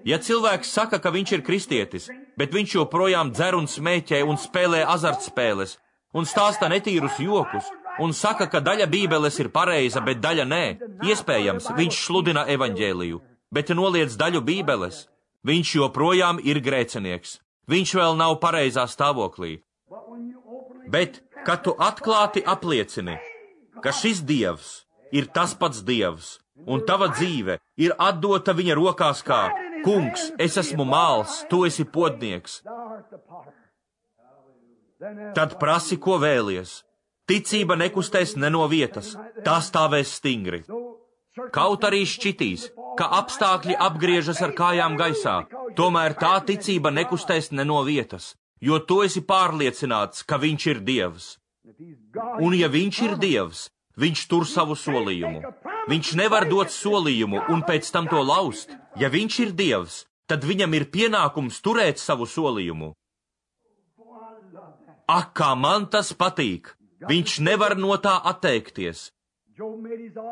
Ja cilvēks saka, ka viņš ir kristietis, bet viņš joprojām dzer un smēķē un spēlē azartspēles, un stāsta netīrus jokus, un saka, ka daļa bībeles ir pareiza, bet daļa nē, iespējams, viņš sludina evaņģēliju, bet noliedz daļu bībeles, viņš joprojām ir grēcinieks. Viņš vēl nav pareizā stāvoklī. Bet, kad tu atklāti apliecini, ka šis Dievs ir tas pats Dievs, un tava dzīve ir atdota viņa rokās kā: kungs, es esmu māls, tu esi podnieks, tad prasi, ko vēlies. Ticība nekustēs ne no vietas, tā stāvēs stingri. Kaut arī šķitīs, ka apstākļi apgriežas ar kājām gaisā, tomēr tā ticība nekustēs ne no vietas, jo tu esi pārliecināts, ka viņš ir Dievs. Un ja viņš ir Dievs, viņš tur savu solījumu. Viņš nevar dot solījumu un pēc tam to laust. Ja viņš ir Dievs, tad viņam ir pienākums turēt savu solījumu. Ak, kā man tas patīk! Viņš nevar no tā atteikties.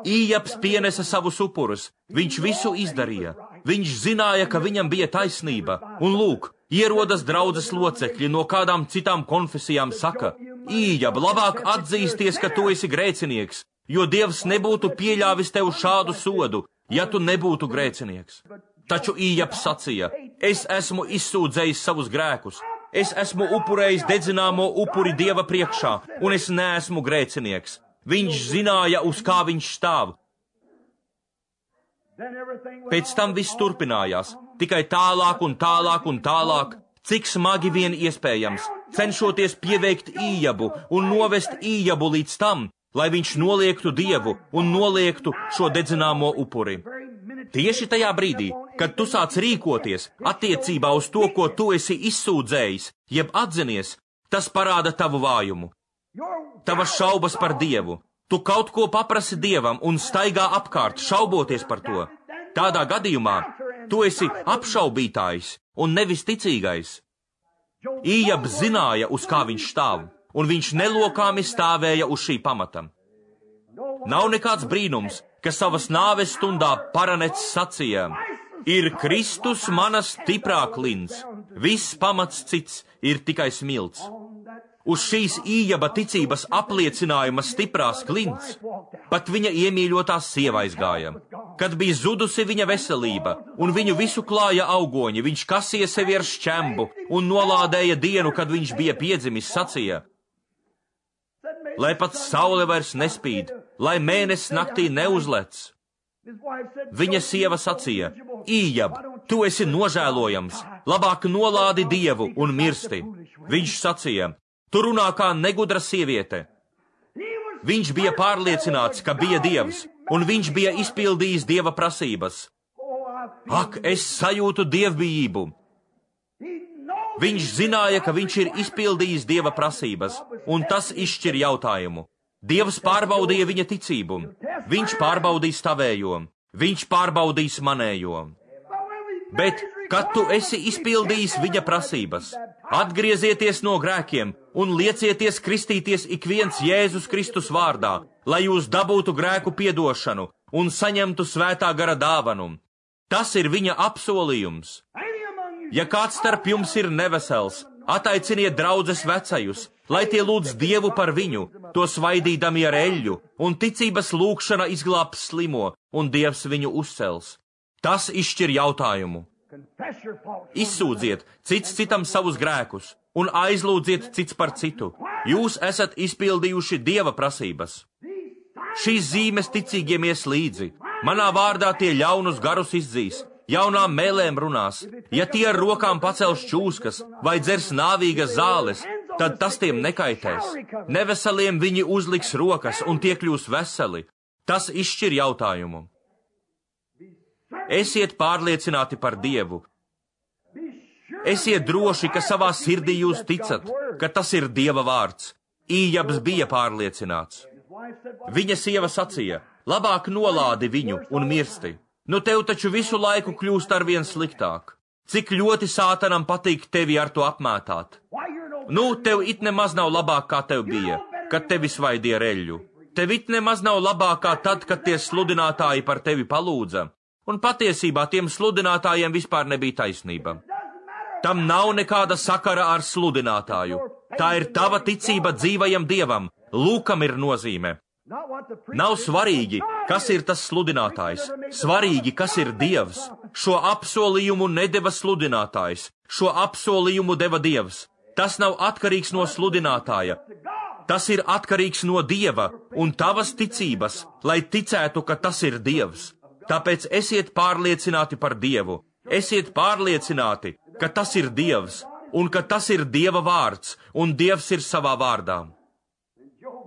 Ījabs pienesa savus upurus, viņš visu izdarīja. Viņš zināja, ka viņam bija taisnība, un lūk, ierodas draudzes locekļi no kādām citām konfesijām saka: Ījab, labāk atzīsties, ka tu esi grēcinieks, jo Dievs nebūtu pieļāvis tev šādu sodu, ja tu nebūtu grēcinieks. Taču Ījabs sacīja: es esmu izsūdzējis savus grēkus, es esmu upurējis dedzināmo upuri Dieva priekšā, un es neesmu grēcinieks. Viņš zināja, uz kā viņš stāv. Pēc tam viss turpinājās, tikai tālāk un tālāk un tālāk, cik smagi vien iespējams, cenšoties pieveikt Ījabu un novest Ījabu līdz tam, lai viņš noliektu Dievu un noliektu šo dedzināmo upuri. Tieši tajā brīdī, kad tu sāc rīkoties attiecībā uz to, ko tu esi izsūdzējis, jeb atzinies, tas parāda tavu vājumu. Tavas šaubas par Dievu. Tu kaut ko paprasi Dievam un staigā apkārt, šauboties par to. Tādā gadījumā tu esi apšaubītājs un nevis ticīgais. Ījabs zināja, uz kā viņš stāv, un viņš nelokāmi stāvēja uz šī pamata. Nav nekāds brīnums, ka savas nāves stundā paranets sacīja: ir Kristus mana stiprā klints, viss pamats cits ir tikai smilts. Uz šīs Ījaba ticības apliecinājuma stiprās klints pat viņa iemīļotā sieva aizgāja. kad bija zudusi viņa veselība, un viņu visu klāja augoņi, viņš kasīja sevi ar šķembu un nolādēja dienu, kad viņš bija piedzimis, sacīja: lai pat saule vairs nespīd, lai mēnesis naktī neuzlec. Viņa sieva sacīja: Ījab, tu esi nožēlojams, labāk nolādi Dievu un mirsti. Viņš sacīja: tu runā kā negudra sieviete. Viņš bija pārliecināts, ka bija Dievs, un viņš bija izpildījis Dieva prasības. Ak, es sajūtu dievbijību! Viņš zināja, ka viņš ir izpildījis Dieva prasības, un tas izšķir jautājumu. Dievs pārbaudīja viņa ticību, viņš pārbaudīs tavējo, viņš pārbaudīs manējo. Bet, kad tu esi izpildījis viņa prasības, atgriezieties no grēkiem un liecieties kristīties ik viens Jēzus Kristus vārdā, lai jūs dabūtu grēku piedošanu un saņemtu svētā gara dāvanu. Tas ir viņa apsolījums. Ja kāds starp jums ir nevesels, ataiciniet draudzes vecajus, lai tie lūdz Dievu par viņu, to svaidīdami ar eļļu, un ticības lūgšana izglābs slimo, un Dievs viņu uzcels. Tas izšķir jautājumu. Izsūdziet cits citam savus grēkus, un aizlūdziet cits par citu. Jūs esat izpildījuši Dieva prasības. Šīs zīmes ticīgiem ies līdzi. Manā vārdā tie ļaunus garus izdzīs, jaunām mēlēm runās. Ja tie ar rokām pacels čūskas vai dzers nāvīgas zāles, tad tas tiem nekaitēs. Neveseliem viņi uzliks rokas un tie kļūs veseli. Tas izšķir jautājumu. Esiet pārliecināti par Dievu. Esiet droši, ka savā sirdī jūs ticat, ka tas ir Dieva vārds. Ījabs bija pārliecināts. Viņa sieva sacīja: labāk nolādi viņu un mirsti. Nu tev taču visu laiku kļūst arvien sliktāk. Cik ļoti sātanam patīk tevi ar to apmētāt. Nu, tev it nemaz nav labāk, kā tev bija, kad tevi svaidīja ar eļļu. Tev it nemaz nav labāk, kā tad, kad tie sludinātāji par tevi palūdza. Un patiesībā tiem sludinātājiem vispār nebija taisnība. Tam nav nekāda sakara ar sludinātāju. Tā ir tava ticība dzīvajam Dievam. Lūkam ir nozīme. Nav svarīgi, kas ir tas sludinātājs. Svarīgi, kas ir Dievs. Šo apsolījumu nedeva sludinātājs. Šo apsolījumu deva Dievs. Tas nav atkarīgs no sludinātāja. Tas ir atkarīgs no Dieva un tavas ticības, lai ticētu, ka tas ir Dievs. Tāpēc esiet pārliecināti par Dievu. Esiet pārliecināti, ka tas ir Dievs, un ka tas ir Dieva vārds, un Dievs ir savā vārdā.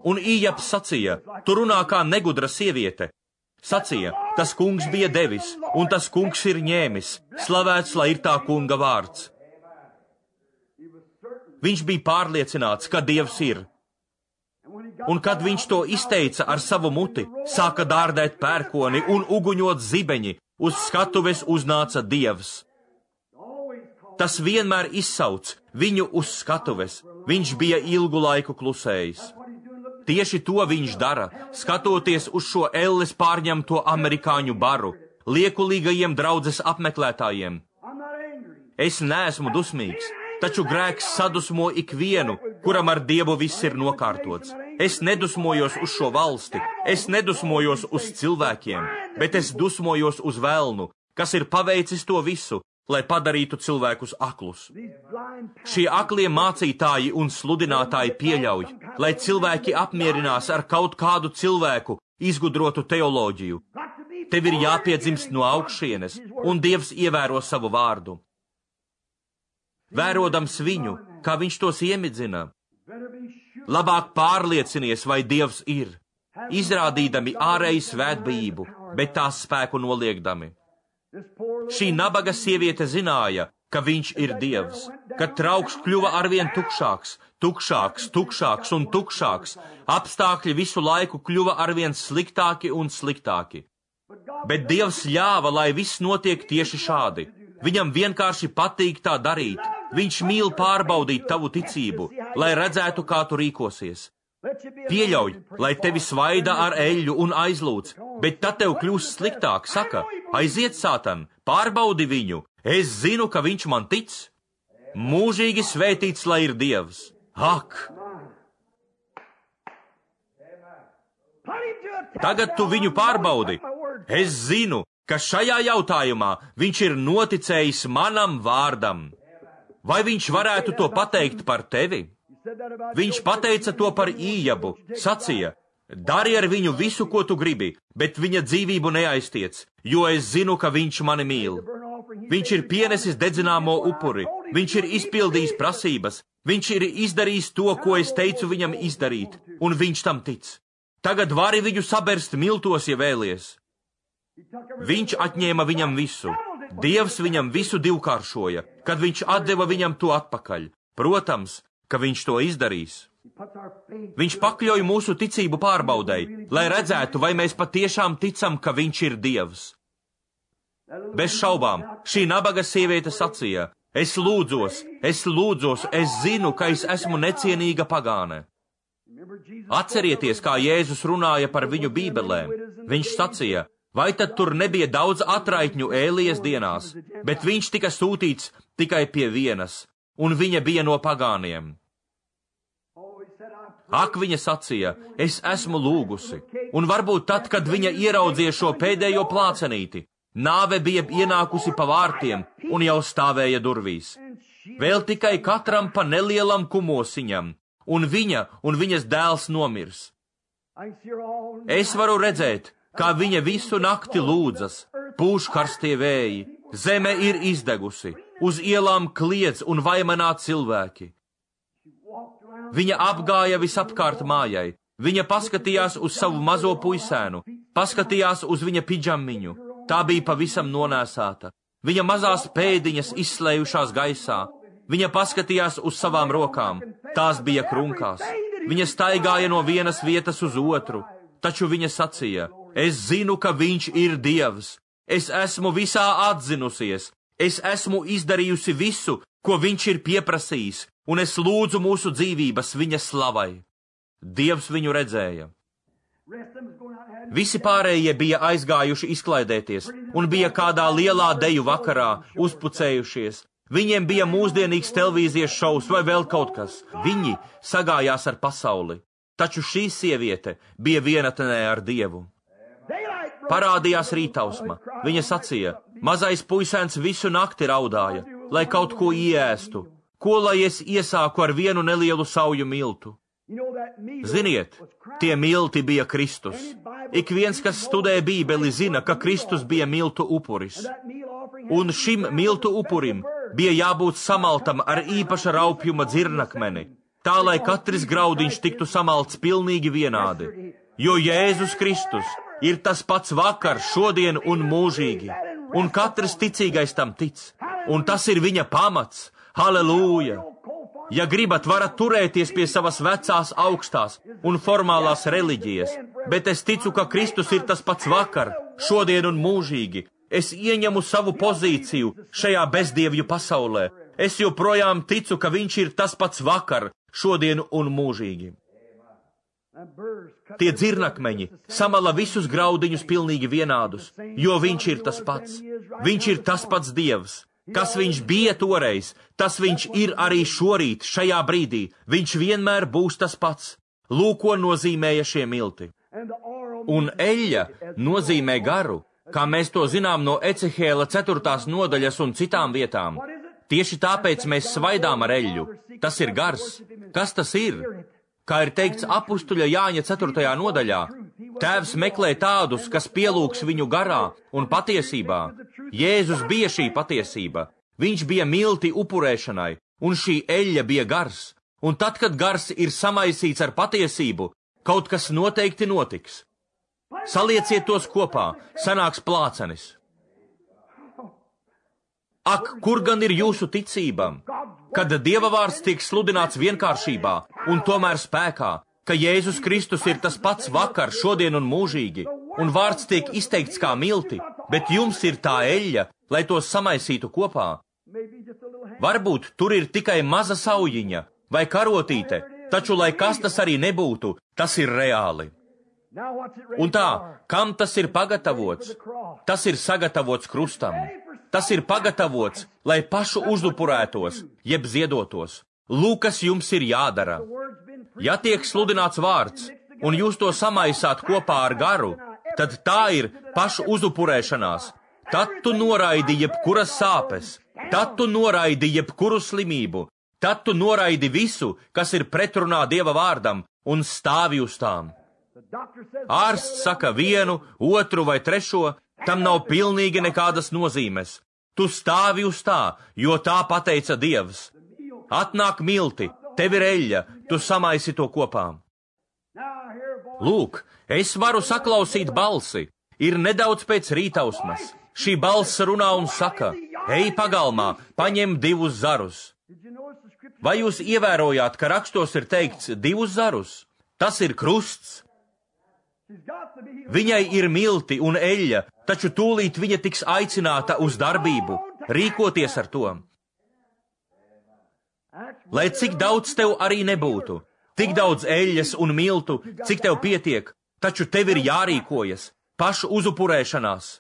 Un Ījabs sacīja: tu runā kā negudra sieviete. Sacīja: tas kungs bija devis, un tas kungs ir ņēmis. Slavēts, lai ir tā kunga vārds. Viņš bija pārliecināts, ka Dievs ir. Un kad viņš to izteica ar savu muti, sāka dārdēt pērkoni un uguņot zibeņi, uz skatuves uznāca Dievs. Tas vienmēr izsauc viņu uz skatuves. Viņš bija ilgu laiku klusējis. Tieši to viņš dara, skatoties uz šo elles pārņemto amerikāņu baru, liekulīgajiem draudzes apmeklētājiem. Es neesmu dusmīgs, taču grēks sadusmo ikvienu, kuram ar Dievu viss ir nokārtots. Es nedusmojos uz šo valsti, es nedusmojos uz cilvēkiem, bet es dusmojos uz velnu, kas ir paveicis to visu, lai padarītu cilvēkus aklus. Šie aklie mācītāji un sludinātāji pieļauj, lai cilvēki apmierinās ar kaut kādu cilvēku izgudrotu teoloģiju. Tev ir jāpiedzimst no augšienes, un Dievs ievēro savu vārdu. Vērodams viņu, kā viņš tos iemidzina, labāk pārliecinies, vai Dievs ir, izrādīdami ārēju svētbijību, bet tās spēku noliekdami. Šī nabaga sieviete zināja, ka viņš ir Dievs, ka trauks kļuva arvien tukšāks, tukšāks, tukšāks un tukšāks, apstākļi visu laiku kļuva arvien sliktāki un sliktāki. Bet Dievs ļāva, lai viss notiek tieši šādi. Viņam vienkārši patīk tā darīt. Viņš mīl pārbaudīt tavu ticību, lai redzētu, kā tu rīkosies. Pieļauj, lai tevi svaida ar eļļu un aizlūdz, bet tad tev kļūs sliktāk, saka: aiziet, Sātan, pārbaudi viņu, es zinu, ka viņš man tic. Mūžīgi svētīts, lai ir Dievs. Ak! Tagad tu viņu pārbaudi, Es zinu, ka šajā jautājumā viņš ir noticējis manam vārdam. Vai viņš varētu to pateikt par tevi? Viņš pateica to par Ījabu, sacīja, dari ar viņu visu, ko tu gribi, bet viņa dzīvību neaiztiec, jo es zinu, ka viņš mani mīl. Viņš ir pienesis dedzināmo upuri, viņš ir izpildījis prasības, viņš ir izdarījis to, ko es teicu viņam izdarīt, un viņš tam tic. Tagad vari viņu saberst miltos, ja vēlies. Viņš atņēma viņam visu. Dievs viņam visu divkāršoja, kad viņš atdeva viņam to atpakaļ. Protams, ka viņš to izdarīs. Viņš pakļauj mūsu ticību pārbaudei, lai redzētu, vai mēs patiešām ticam, ka viņš ir Dievs. Bez šaubām, šī nabaga sieviete sacīja, es lūdzos, es lūdzos, es zinu, ka es esmu necienīga pagāne. Atcerieties, kā Jēzus runāja par viņu bībelēm. Viņš sacīja, vai tad tur nebija daudz atraitņu Ēlijas dienās, bet viņš tika sūtīts tikai pie vienas, un viņa bija no pagāniem. Ak, viņa sacīja, es esmu lūgusi, un varbūt tad, kad viņa ieraudzīja šo pēdējo plācenīti, nāve bija ienākusi pa vārtiem un jau stāvēja durvīs. Vēl tikai katram pa nelielam kumosiņam, un viņa un viņas dēls nomirs. Es varu redzēt, kā viņa visu nakti lūdzas, pūš karstie vēji, zeme ir izdegusi, uz ielām kliedz un vaimanā cilvēki. Viņa apgāja visapkārt mājai, viņa paskatījās uz savu mazo puisēnu, paskatījās uz viņa pidžamiņu, tā bija pavisam nonēsāta, viņa mazās pēdiņas izslējušās gaisā, viņa paskatījās uz savām rokām, tās bija krunkās, viņa staigāja no vienas vietas uz otru, taču viņa sacīja, es zinu, ka viņš ir Dievs, es esmu visā atzinusies, es esmu izdarījusi visu, ko viņš ir pieprasījis, un es lūdzu mūsu dzīvības viņa slavai. Dievs viņu redzēja. Visi pārējie bija aizgājuši izklaidēties, un bija kādā lielā deju vakarā uzpucējušies. Viņiem bija mūsdienīgs televīzijas šovs vai vēl kaut kas. Viņi sagājās ar pasauli, taču šī sieviete bija vienatnē ar Dievu. Parādījās rītausma. Viņa sacīja, mazais puisēns visu nakti raudāja, lai kaut ko ieēstu. Ko lai es iesāku ar vienu nelielu sauju miltu? Ziniet, tie milti bija Kristus. Ik viens, kas studē Bībeli, zina, ka Kristus bija miltu upuris. Un šim miltu upurim bija jābūt samaltam ar īpaša raupjuma dzirnakmeni, tā lai katrs graudiņš tiktu samalts pilnīgi vienādi. Jo Jēzus Kristus ir tas pats vakar, šodien un mūžīgi, un katrs ticīgais tam tic, un tas ir viņa pamats. Halleluja! Ja gribat, varat turēties pie savas vecās augstās un formālās reliģijas, bet es ticu, ka Kristus ir tas pats vakar, šodien un mūžīgi. Es ieņemu savu pozīciju šajā bezdievju pasaulē. Es joprojām ticu, ka viņš ir tas pats vakar, šodien un mūžīgi. Tie dzirnakmeņi samala visus graudiņus pilnīgi vienādus, jo viņš ir tas pats. Viņš ir tas pats Dievs. Kas viņš bija toreiz, tas viņš ir arī šorīt, šajā brīdī. Viņš vienmēr būs tas pats. Lūk, ko nozīmēja šie milti. Un eļļa nozīmē garu, kā mēs to zinām no Ecehēla ceturtās nodaļas un citām vietām. Tieši tāpēc mēs svaidām ar eļļu. Tas ir gars. Kas tas ir? Kā ir teikts apustuļa Jāņa ceturtajā nodaļā, Tēvs meklē tādus, kas pielūgs viņu garā un patiesībā. Jēzus bija šī patiesība. Viņš bija milti upurēšanai, un šī eļļa bija gars. Un tad, kad gars ir samaisīts ar patiesību, kaut kas noteikti notiks. Salieciet tos kopā, sanāks plācenis. Ak, kur gan ir jūsu ticība? Kad Dieva vārds tiek sludināts vienkāršībā un tomēr spēkā, ka Jēzus Kristus ir tas pats vakar, šodien un mūžīgi, un vārds tiek izteikts kā milti, bet jums ir tā eļļa, lai tos samaisītu kopā. Varbūt tur ir tikai maza saujiņa vai karotīte, taču, lai kas tas arī nebūtu, tas ir reāli. Un tā, kam tas ir pagatavots? Tas ir sagatavots krustam. Tas ir pagatavots, lai pašu uzupurētos, jeb ziedotos. Lūk, kas jums ir jādara. Ja tiek sludināts vārds, un jūs to samaisāt kopā ar garu, tad tā ir pašu uzupurēšanās. Tad tu noraidi jebkuras sāpes, tad tu noraidi jebkuru slimību, tad tu noraidi visu, kas ir pretrunā Dieva vārdam, un stāvi uz tām. Ārsts saka vienu, otru vai trešo, tam nav pilnīgi nekādas nozīmes. Tu stāvi uz tā, jo tā pateica Dievs. Atnāk milti, tev ir eļļa, tu samaisi to kopā. Lūk, es varu saklausīt balsi, ir nedaudz pēc rītausmas. Šī balss runā un saka, ej pagalmā, paņem divus zarus. Vai jūs ievērojāt, ka rakstos ir teikts divus zarus? Tas ir krusts. Viņai ir milti un eļļa, taču tūlīt viņa tiks aicināta uz darbību, rīkoties ar to. Lai cik daudz tev arī nebūtu, tik daudz eļļas un miltu, cik tev pietiek, taču tev ir jārīkojas, pašu uzupurēšanās.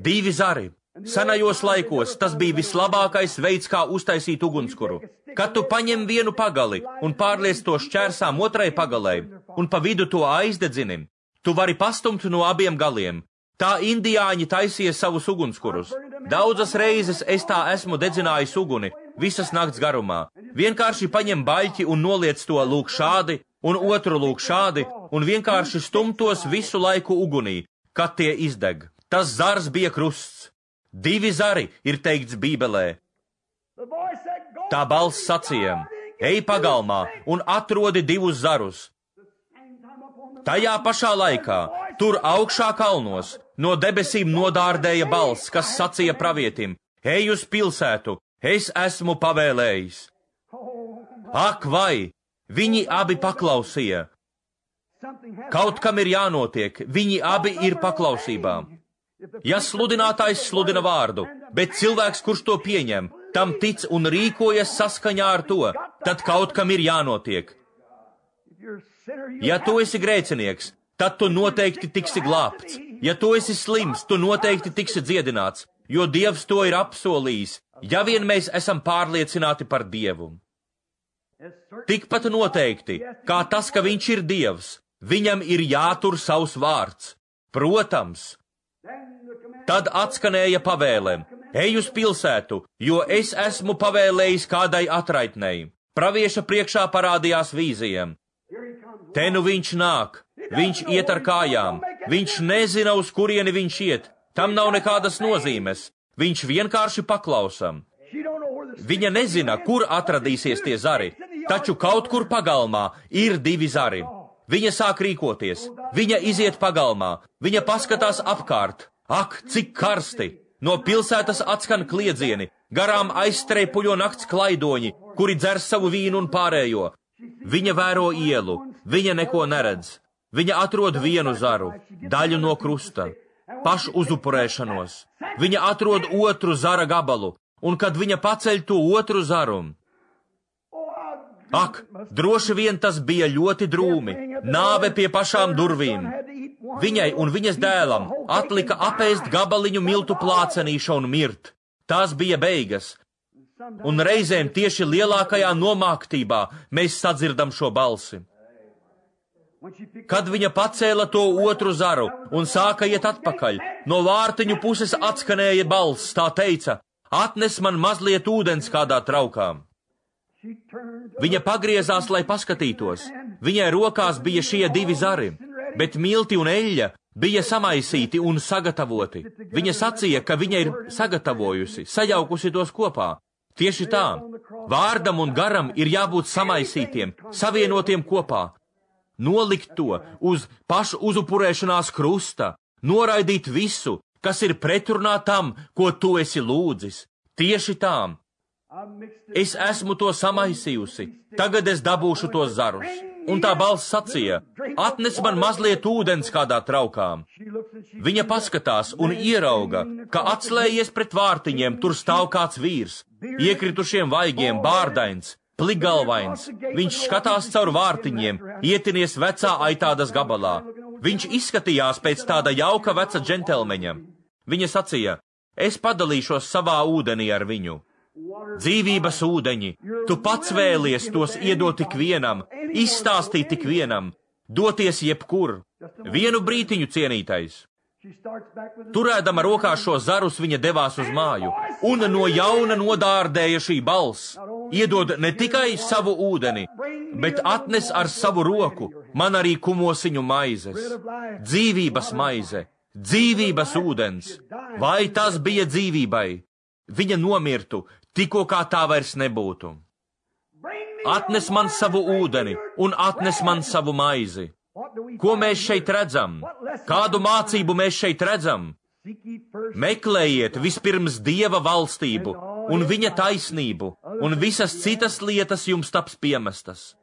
Divi zari. Senajos laikos tas bija vislabākais veids, kā uztaisīt ugunskura. Kad tu paņem vienu pagali un pārliec to šķērsām otrai pagalai un pa vidu to aizdedzini, tu vari pastumt no abiem galiem. Tā indiāņi taisīja savus ugunskurus. Daudzas reizes es tā esmu dedzinājis uguni, visas nakts garumā. Vienkārši paņem baļķi un noliec to lūk šādi, un otru lūk šādi, un vienkārši stumtos visu laiku ugunī, kad tie izdeg. Tas zars bija krusts. Divi zari ir teikts Bībelē. Tā balss sacīja, ej pagalmā un atrodi divus zarus. Tajā pašā laikā, tur augšā kalnos, no debesīm nodārdēja balss, kas sacīja pravietim, ej uz pilsētu, es esmu pavēlējis. Ak vai, viņi abi paklausīja. Kaut kam ir jānotiek, viņi abi ir paklausībā. Ja sludinātājs sludina vārdu, bet cilvēks, kurš to pieņem, tam tic un rīkojas saskaņā ar to, tad kaut kam ir jānotiek. Ja tu esi grēcinieks, tad tu noteikti tiksi glābts. Ja tu esi slims, tu noteikti tiksi dziedināts, jo Dievs to ir apsolījis, ja vien mēs esam pārliecināti par Dievu. Tikpat noteikti, kā tas, ka viņš ir Dievs, viņam ir jātur savs vārds. Protams. Tad atskanēja pavēle, ej uz pilsētu, jo es esmu pavēlējis kādai atraitnei. Pravieša priekšā parādījās vīzija. Te nu viņš nāk, viņš iet ar kājām, viņš nezina, uz kurieni viņš iet, tam nav nekādas nozīmes, viņš vienkārši paklausa. Viņa nezina, kur atradīsies tie zari, taču kaut kur pagalmā ir divi zari. Viņa sāk rīkoties, viņa iziet pagalmā, viņa paskatās apkārt. Ak, cik karsti! No pilsētas atskan kliedzieni, garām aizstreipuļo nakts klaidoņi, kuri dzer savu vīnu un pārējo. Viņa vēro ielu, viņa neko neredz. Viņa atrod vienu zaru, daļu no krusta, pašu uzupurēšanos. Viņa atrod otru zara gabalu, un kad viņa paceļ to otru zaru. Ak, droši vien tas bija ļoti drūmi, nāve pie pašām durvīm. Viņai un viņas dēlam atlika apēst gabaliņu miltu plācenīša un mirt. Tās bija beigas. Un reizēm tieši lielākajā nomāktībā mēs sadzirdam šo balsi. Kad viņa pacēla to otru zaru un sāka iet atpakaļ, no vārtiņu puses atskanēja balss, tā teica, atnes man mazliet ūdens kādā traukā. Viņa pagriezās, lai paskatītos. Viņai rokās bija šie divi zari, bet milti un eļļa bija samaisīti un sagatavoti. Viņa sacīja, ka viņa ir sagatavojusi, sajaukusi tos kopā. Tieši tā, vārdam un garam ir jābūt samaisītiem, savienotiem kopā. Nolikt to uz pašu uzupurēšanās krusta, noraidīt visu, kas ir pretrunā tam, ko tu esi lūdzis. Tieši tā. Es esmu to samaisījusi, tagad es dabūšu tos zarus. Un tā balss sacīja, atnes man mazliet ūdens kādā traukā. Viņa paskatās un ierauga, ka atslējies pret vārtiņiem tur stāv kāds vīrs, iekritušiem vaigiem, bārdains, plikgalvains. Viņš skatās caur vārtiņiem, ietinies vecā aitādas gabalā. Viņš izskatījās pēc tāda jauka veca džentelmeņa. Viņa sacīja, es padalīšos savā ūdenī ar viņu. Dzīvības ūdeņi, tu pats vēlies tos iedot tik vienam, izstāstīt tik vienam. doties jebkur. Vienu brītiņu, cienītais. Turēdama rokā šo zarus, viņa devās uz māju, un no jauna nodārdēja šī balss. Iedod ne tikai savu ūdeni, bet atnes ar savu roku man arī kumosiņu maizes. Dzīvības maize, dzīvības ūdens. Vai tas bija dzīvībai? Viņa nomirtu, tikko kā tā vairs nebūtu. Atnes man savu ūdeni un atnes man savu maizi. Ko mēs šeit redzam? Kādu mācību mēs šeit redzam? Meklējiet vispirms Dieva valstību un viņa taisnību, un visas citas lietas jums taps piemestas.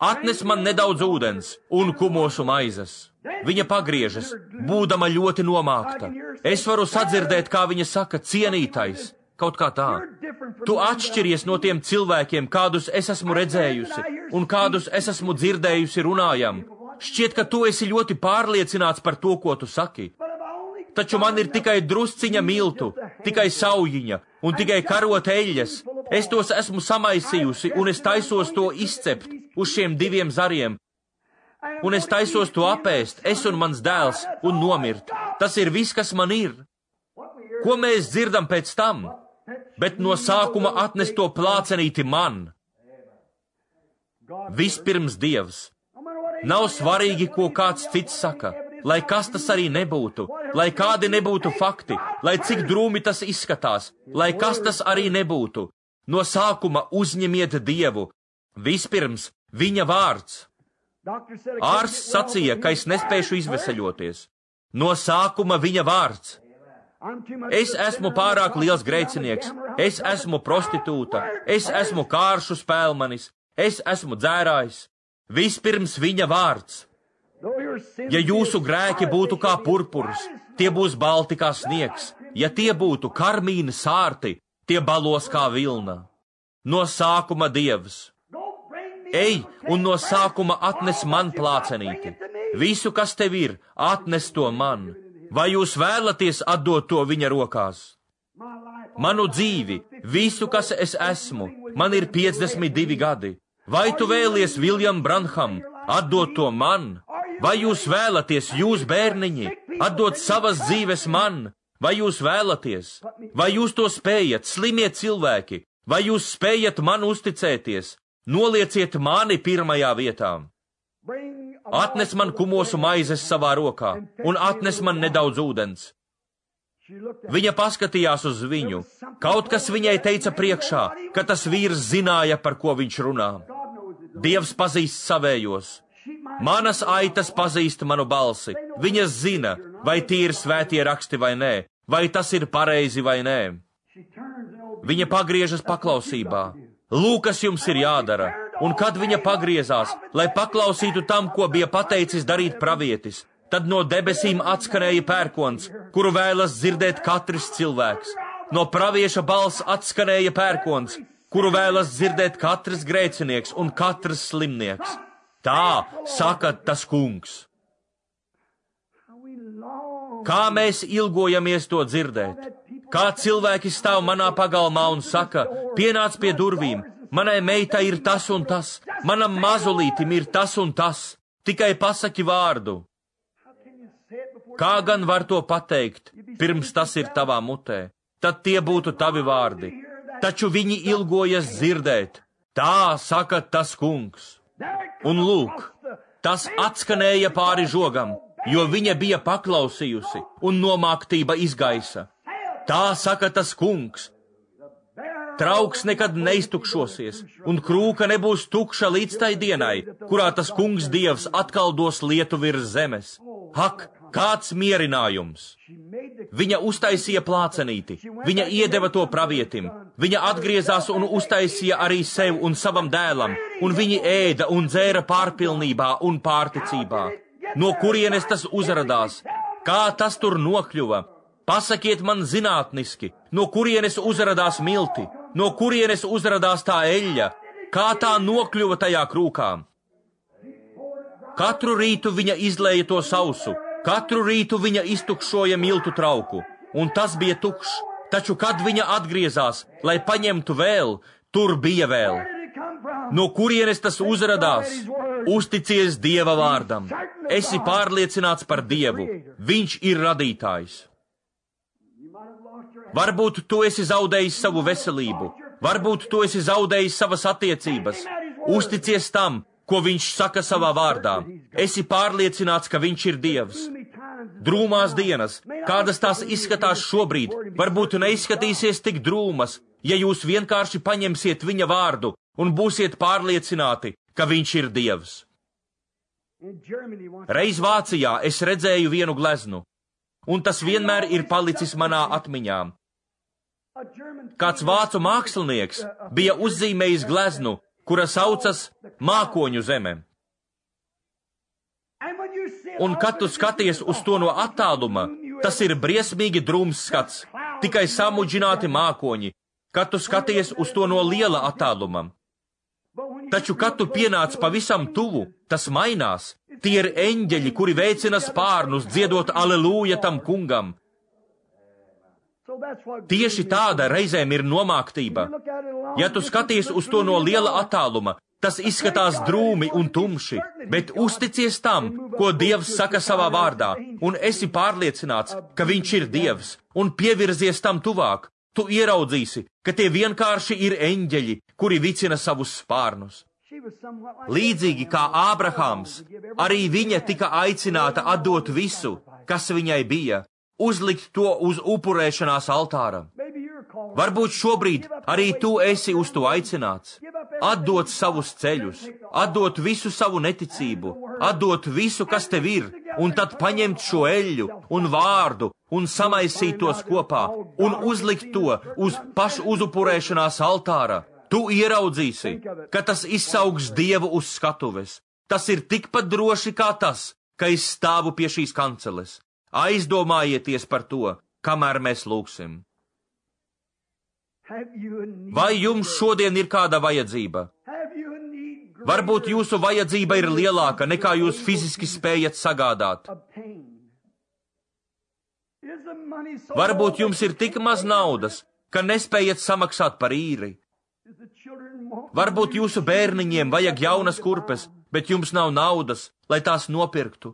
Atnes man nedaudz ūdens un kumosu maizes. Viņa pagriežas, būdama ļoti nomākta. Es varu sadzirdēt, kā viņa saka, cienītais, kaut kā tā. Tu atšķiries no tiem cilvēkiem, kādus es esmu redzējusi, un kādus es esmu dzirdējusi runājam. Šķiet, ka tu esi ļoti pārliecināts par to, ko tu saki. Taču man ir tikai drusciņa miltu, tikai saujiņa un tikai karot eļļas. Es tos esmu samaisījusi, un es taisos to izcept uz šiem diviem zariem. Un es taisos to apēst, es un mans dēls, un nomirt. Tas ir viss, kas man ir. Ko mēs dzirdam pēc tam? Bet no sākuma atnes to plācenīti man. Vispirms Dievs. Nav svarīgi, ko kāds cits saka, lai kas tas arī nebūtu, lai kādi nebūtu fakti, lai cik drūmi tas izskatās, lai kas tas arī nebūtu. No sākuma uzņemiet Dievu. Vispirms viņa vārds. Ārsts sacīja, ka es nespēšu izveseļoties. No sākuma viņa vārds. Es esmu pārāk liels grēcinieks, es esmu prostitūta, es esmu kāršu spēlmanis, es esmu dzērājs. Vispirms viņa vārds. Ja jūsu grēki būtu kā purpurs, tie būs balti kā sniegs. Ja tie būtu karmīni sārti, tie balos kā vilna. No sākuma Dievs. Ej, un no sākuma atnes man plācenīti. Visu, kas tev ir, atnes to man. Vai jūs vēlaties atdot to viņa rokās? Manu dzīvi, visu, kas es esmu, man ir piecdesmit divi gadi. Vai tu vēlies, Viljam Branham, atdot to man? Vai jūs vēlaties, jūs bērniņi, atdot savas dzīves man? Vai jūs vēlaties? Vai jūs to spējat, slimie cilvēki? Vai jūs spējat man uzticēties? Nolieciet mani pirmajā vietā. Atnes man kumosu maizes savā rokā un atnes man nedaudz ūdens. Viņa paskatījās uz viņu. Kaut kas viņai teica priekšā, ka tas vīrs zināja, par ko viņš runā. Dievs pazīst savējos. Manas aitas pazīst manu balsi. Viņas zina, vai tie ir svētie raksti vai nē, vai tas ir pareizi vai nē. Viņa pagriežas paklausībā. Lūk, kas jums ir jādara. Un kad viņa pagriezās, lai paklausītu tam, ko bija pateicis darīt pravietis, tad no debesīm atskanēja pērkons, kuru vēlas dzirdēt katrs cilvēks. No pravieša balss atskanēja pērkons, kuru vēlas dzirdēt katrs grēcinieks un katrs slimnieks. Tā saka tas kungs. Kā mēs ilgojamies to dzirdēt? Kā cilvēki stāv manā pagalmā un saka, pienāc pie durvīm, manai meitai ir tas un tas, manam mazulītim ir tas un tas, tikai pasaki vārdu. Kā gan var to pateikt, pirms tas ir tavā mutē? Tad tie būtu tavi vārdi. Taču viņi ilgojas dzirdēt. Tā saka tas kungs. Un lūk, tas atskanēja pāri žogam, jo viņa bija paklausījusi un nomāktība izgaisa. Tā saka tas kungs. Trauks nekad neiztukšosies, un krūka nebūs tukša līdz tai dienai, kurā tas kungs Dievs atkal dos lietu virs zemes. Ak, kāds mierinājums! Viņa uztaisīja plācenīti, viņa iedeva to pravietim, viņa atgriezās un uztaisīja arī sev un savam dēlam, un viņi ēda un dzēra pārpilnībā un pārticībā. No kurienes tas uzradās? Kā tas tur nokļuva? Pasakiet man zinātniski, no kurienes uzradās milti, no kurienes uzradās tā eļļa, kā tā nokļuva tajā krūkā. Katru rītu viņa izlēja to sausu, katru rītu viņa iztukšoja miltu trauku, un tas bija tukšs, taču kad viņa atgriezās, lai paņemtu vēl, tur bija vēl. no kurienes tas uzradās. Uzticies Dieva vārdam. Esi pārliecināts par Dievu. Viņš ir radītājs. Varbūt tu esi zaudējis savu veselību. Varbūt tu esi zaudējis savas attiecības. Uzticies tam, ko viņš saka savā vārdā. Esi pārliecināts, ka viņš ir Dievs. Drūmās dienas, kādas tās izskatās šobrīd, varbūt neizskatīsies tik drūmas, ja jūs vienkārši paņemsiet viņa vārdu un būsiet pārliecināti, ka viņš ir Dievs. Reiz Vācijā es redzēju vienu gleznu, un tas vienmēr ir palicis manā atmiņā. Kāds vācu mākslinieks bija uzzīmējis gleznu, kura saucas Mākoņu zeme. Un kad tu skaties uz to no attāluma, tas ir briesmīgi drūms skats, tikai samudžināti mākoņi, kad tu skaties uz to no liela attāluma. Taču, kad tu pienāc pavisam tuvu, tas mainās. Tie ir eņģeļi, kuri veicina spārnus, dziedot alelūja tam kungam. Tieši tāda reizēm ir nomāktība. Ja tu skaties uz to no liela attāluma, tas izskatās drūmi un tumši, bet uzticies tam, ko Dievs saka savā vārdā, un esi pārliecināts, ka viņš ir Dievs, un pievirzies tam tuvāk. Tu ieraudzīsi, ka tie vienkārši ir eņģeļi, kuri vicina savus spārnus. Līdzīgi kā Ābrahams, arī viņa tika aicināta atdot visu, kas viņai bija, uzlikt to uz upurēšanās altāra. Varbūt šobrīd arī tu esi uz to aicināts. Atdot savus ceļus, atdot visu savu neticību, atdot visu, kas tev ir, un tad paņemt šo eļļu un vārdu un samaisīt tos kopā un uzlikt to uz pašu uzupurēšanās altāra. Tu ieraudzīsi, ka tas izsaugs Dievu uz skatuves. Tas ir tikpat droši kā tas, ka es stāvu pie šīs kanceles. Aizdomājieties par to, kamēr mēs lūgsim. Vai jums šodien ir kāda vajadzība? Varbūt jūsu vajadzība ir lielāka, nekā jūs fiziski spējat sagādāt. Varbūt jums ir tik maz naudas, ka nespējat samaksāt par īri. Varbūt jūsu bērniņiem vajag jaunas kurpes, bet jums nav naudas, lai tās nopirktu.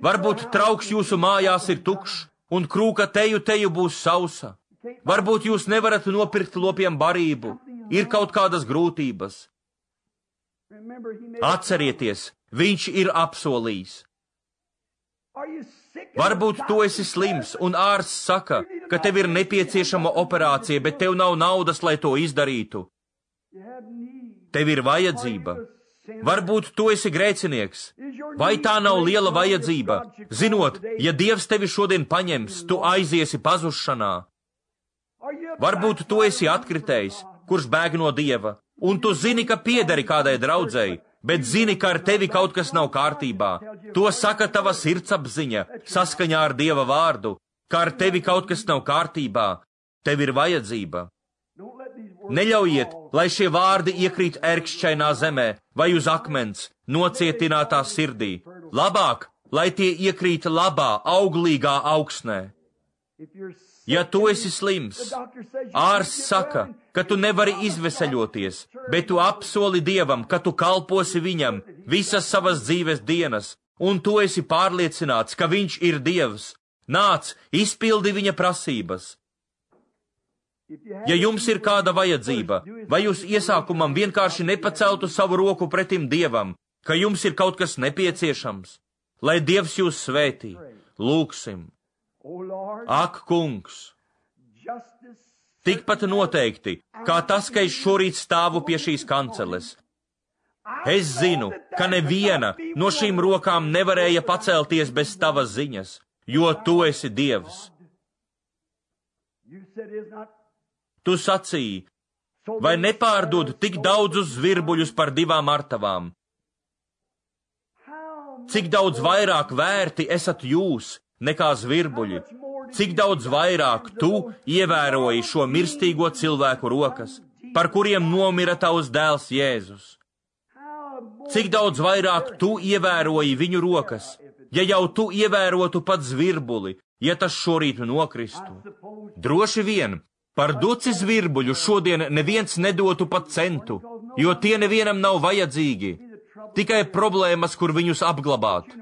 Varbūt trauks jūsu mājās ir tukšs, un krūka teju teju būs sausa. Varbūt jūs nevarat nopirkt lopiem barību, ir kaut kādas grūtības. Atcerieties, viņš ir apsolījis. Varbūt tu esi slims, un ārsts saka, ka tev ir nepieciešama operācija, bet tev nav naudas, lai to izdarītu. Tev ir vajadzība. Varbūt tu esi grēcinieks. Vai tā nav liela vajadzība? Zinot, ja Dievs tevi šodien paņems, tu aiziesi pazušanā. Varbūt tu esi atkritējis, kurš bēg no Dieva, un tu zini, ka piederi kādai draudzei, bet zini, ka ar tevi kaut kas nav kārtībā. To saka tava sirdsapziņa, saskaņā ar Dieva vārdu, ka ar tevi kaut kas nav kārtībā. Tev ir vajadzība. Neļaujiet, lai šie vārdi iekrīt ērkšķainā zemē vai uz akmens, nocietinātā sirdī. Labāk, lai tie iekrīt labā, auglīgā augsnē. Ja tu esi slims, ārsts saka, ka tu nevari izveseļoties, bet tu apsoli Dievam, ka tu kalposi viņam visas savas dzīves dienas, un tu esi pārliecināts, ka viņš ir Dievs. Nāc, izpildi viņa prasības. Ja jums ir kāda vajadzība, vai jūs iesākumam vienkārši nepaceltu savu roku pretim Dievam, ka jums ir kaut kas nepieciešams, lai Dievs jūs svētī, lūgsim. Ak, kungs, tikpat noteikti, kā tas, ka es šorīt stāvu pie šīs kanceles. Es zinu, ka neviena no šīm rokām nevarēja pacelties bez tavas ziņas, jo tu esi Dievs. Tu sacīji, vai nepārdod tik daudzus zvirbuļus par divām artavām? Cik daudz vairāk vērti esat jūs nekā zvirbuļi? Cik daudz vairāk tu ievēroji šo mirstīgo cilvēku rokas, par kuriem nomira tavs dēls Jēzus? Cik daudz vairāk tu ievēroji viņu rokas, ja jau tu ievērotu pat zvirbuli, ja tas šorīt nokristu? Droši vien, par duci zvirbuļu šodien neviens nedotu pat centu, jo tie nevienam nav vajadzīgi, tikai problēmas, kur viņus apglabāt.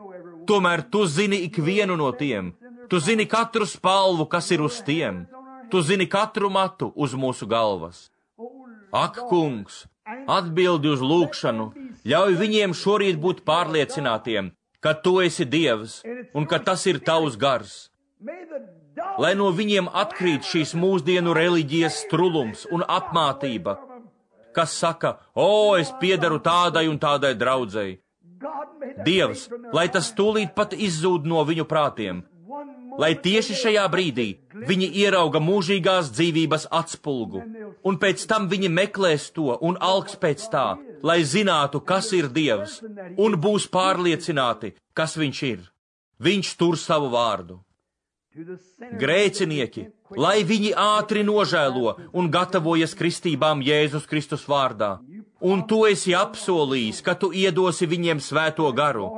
Tomēr tu zini ikvienu no tiem, tu zini katru spalvu, kas ir uz tiem, tu zini katru matu uz mūsu galvas. Ak, kungs, atbildi uz lūgšanu, ļauj viņiem šorīt būt pārliecinātiem, ka tu esi Dievs un ka tas ir tavs gars. Lai no viņiem atkrīt šīs mūsdienu reliģijas strulums un apmātība, kas saka, o, es piedaru tādai un tādai draudzei. Dievs, lai tas tūlīt pat izzūd no viņu prātiem, lai tieši šajā brīdī viņi ierauga mūžīgās dzīvības atspulgu, un pēc tam viņi meklēs to un alks pēc tā, lai zinātu, kas ir Dievs, un būs pārliecināti, kas viņš ir. Viņš tur savu vārdu. Grēcinieki, lai viņi ātri nožēlo un gatavojas kristībām Jēzus Kristus vārdā. Un tu esi apsolījis, ka tu iedosi viņiem svēto garu.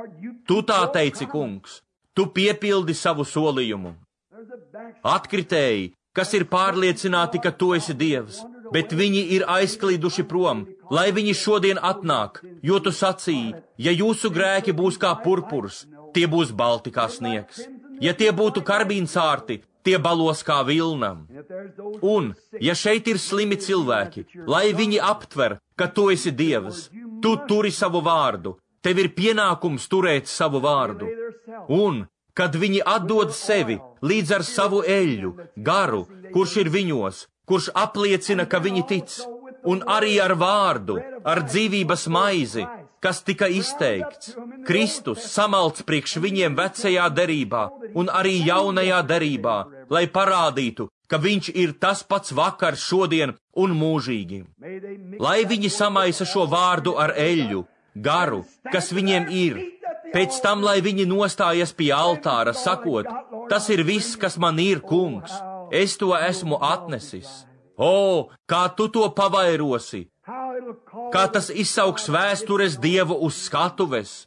Tu tā teici, kungs, tu piepildi savu solījumu. Atkritēji, kas ir pārliecināti, ka tu esi Dievs, bet viņi ir aizklīduši prom, lai viņi šodien atnāk, jo tu sacīji, ja jūsu grēki būs kā purpurs, tie būs balti kā sniegs. Ja tie būtu karbīnsārti, tie balos kā vilnam. Un, ja šeit ir slimi cilvēki, lai viņi aptver, ka tu esi Dievs, tu turi savu vārdu, tev ir pienākums turēt savu vārdu. Un, kad viņi atdod sevi līdz ar savu eļļu, garu, kurš ir viņos, kurš apliecina, ka viņi tic, un arī ar vārdu, ar dzīvības maizi, kas tika izteikts, Kristus samalts priekš viņiem vecajā derībā un arī jaunajā derībā, lai parādītu, ka viņš ir tas pats vakar, šodien un mūžīgi. Lai viņi samaisa šo vārdu ar eļļu, garu, kas viņiem ir, pēc tam, lai viņi nostājas pie altāra, sakot, tas ir viss, kas man ir, kungs, es to esmu atnesis. O, kā tu to pavairosi! Kā tas izsauks vēstures Dievu uz skatuves,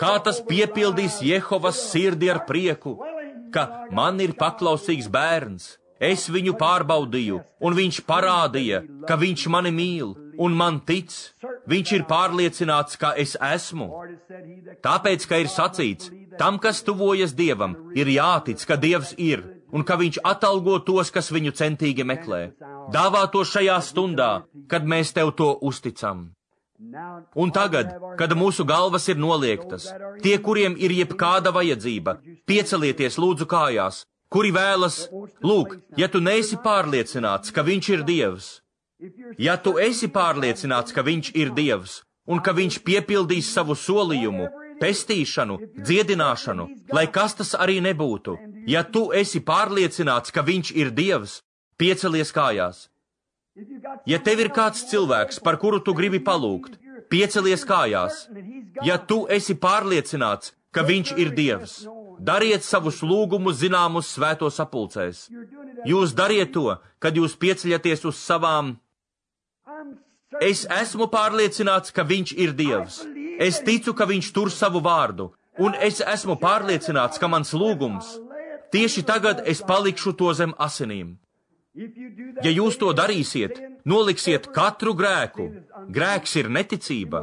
kā tas piepildīs Jehovas sirdi ar prieku, ka man ir paklausīgs bērns, es viņu pārbaudīju, un viņš parādīja, ka viņš mani mīl, un man tic, viņš ir pārliecināts, ka es esmu. Tāpēc, ka ir sacīts, tam, kas tuvojas Dievam, ir jātic, ka Dievs ir, un ka viņš atalgo tos, kas viņu centīgi meklē. Dāvā to šajā stundā, kad mēs tev to uzticam. Un tagad, kad mūsu galvas ir noliektas, tie, kuriem ir jebkāda vajadzība, piecelieties lūdzu kājās, kuri vēlas, lūk, ja tu neesi pārliecināts, ka viņš ir Dievs, ja tu esi pārliecināts, ka viņš ir Dievs, un ka viņš piepildīs savu solījumu, pestīšanu, dziedināšanu, lai kas tas arī nebūtu, ja tu esi pārliecināts, ka viņš ir Dievs, piecelies kājās. Ja tev ir kāds cilvēks, par kuru tu gribi palūgt, piecelies kājās. Ja tu esi pārliecināts, ka viņš ir Dievs, dariet savus lūgumus zināmus svētos sapulcēs. Jūs dariet to, kad jūs pieceļaties uz savām. Es esmu pārliecināts, ka viņš ir Dievs. Es ticu, ka viņš tur savu vārdu, un es esmu pārliecināts, ka mans lūgums, tieši tagad es palikšu to zem asinīm. Ja jūs to darīsiet, noliksiet katru grēku. Grēks ir neticība.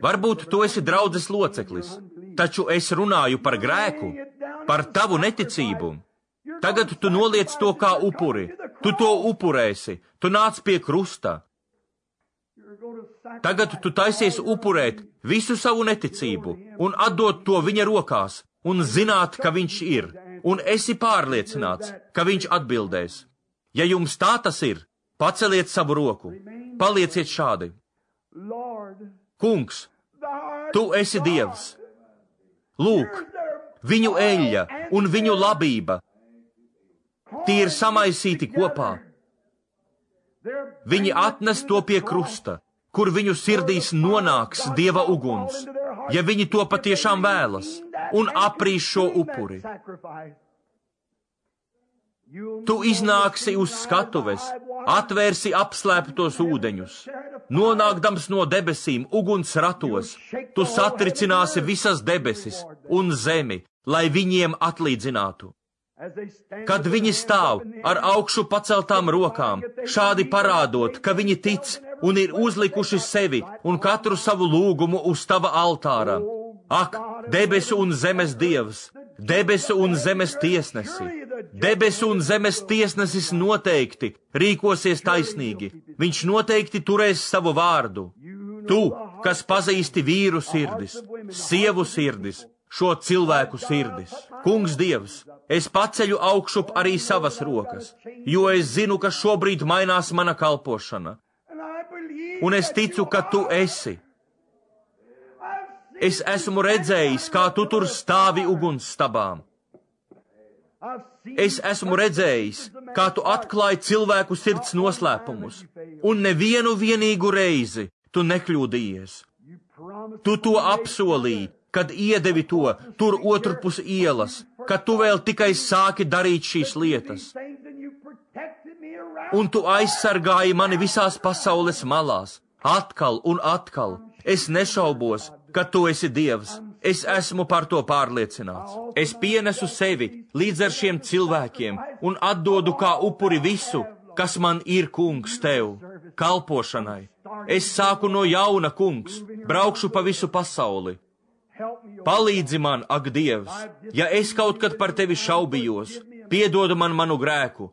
Varbūt tu esi draudzes loceklis, taču es runāju par grēku, par tavu neticību. Tagad tu noliec to kā upuri. Tu to upurēsi. Tu nāc pie krusta. Tagad tu taisies upurēt visu savu neticību un atdot to viņa rokās un zināt, ka viņš ir, un esi pārliecināts, ka viņš atbildēs. Ja jums tā tas ir, paceliet savu roku, palieciet šādi. Kungs, tu esi Dievs. Lūk, viņu eļļa un viņu labība, tie ir samaisīti kopā. Viņi atnes to pie krusta, kur viņu sirdīs nonāks Dieva uguns, ja viņi to patiešām vēlas, un aprīs šo upuri. Tu iznāksi uz skatuves, atvērsi apslēptos ūdeņus, nonākdams no debesīm uguns ratos, tu satricināsi visas debesis un zemi, lai viņiem atlīdzinātu. Kad viņi stāv ar augšu paceltām rokām, šādi parādot, ka viņi tic un ir uzlikuši sevi un katru savu lūgumu uz tava altāra. Ak, debesu un zemes Dievs, debesu un zemes tiesnesi, debesu un zemes tiesnesis noteikti rīkosies taisnīgi. Viņš noteikti turēs savu vārdu. Tu, kas pazīsti vīru sirdis, sievu sirdis, šo cilvēku sirdis. Kungs Dievs, es paceļu augšup arī savas rokas, jo es zinu, ka šobrīd mainās mana kalpošana. Un es ticu, ka tu esi. Es esmu redzējis, kā tu tur stāvi ugunsstabām. Es esmu redzējis, kā tu atklāji cilvēku sirds noslēpumus, un nevienu vienīgu reizi tu nekļūdījies. Tu to apsolīji, kad iedevi to tur otrpus ielas, kad tu vēl tikai sāki darīt šīs lietas. Un tu aizsargāji mani visās pasaules malās, atkal un atkal. Es nešaubos, ka tu esi Dievs. Es esmu par to pārliecināts. Es pienesu sevi līdz ar šiem cilvēkiem un atdodu kā upuri visu, kas man ir, Kungs, tev, kalpošanai. Es sāku no jauna, Kungs, braukšu pa visu pasauli. Palīdzi man, ak, Dievs, ja es kaut kad par tevi šaubījos, piedod man manu grēku,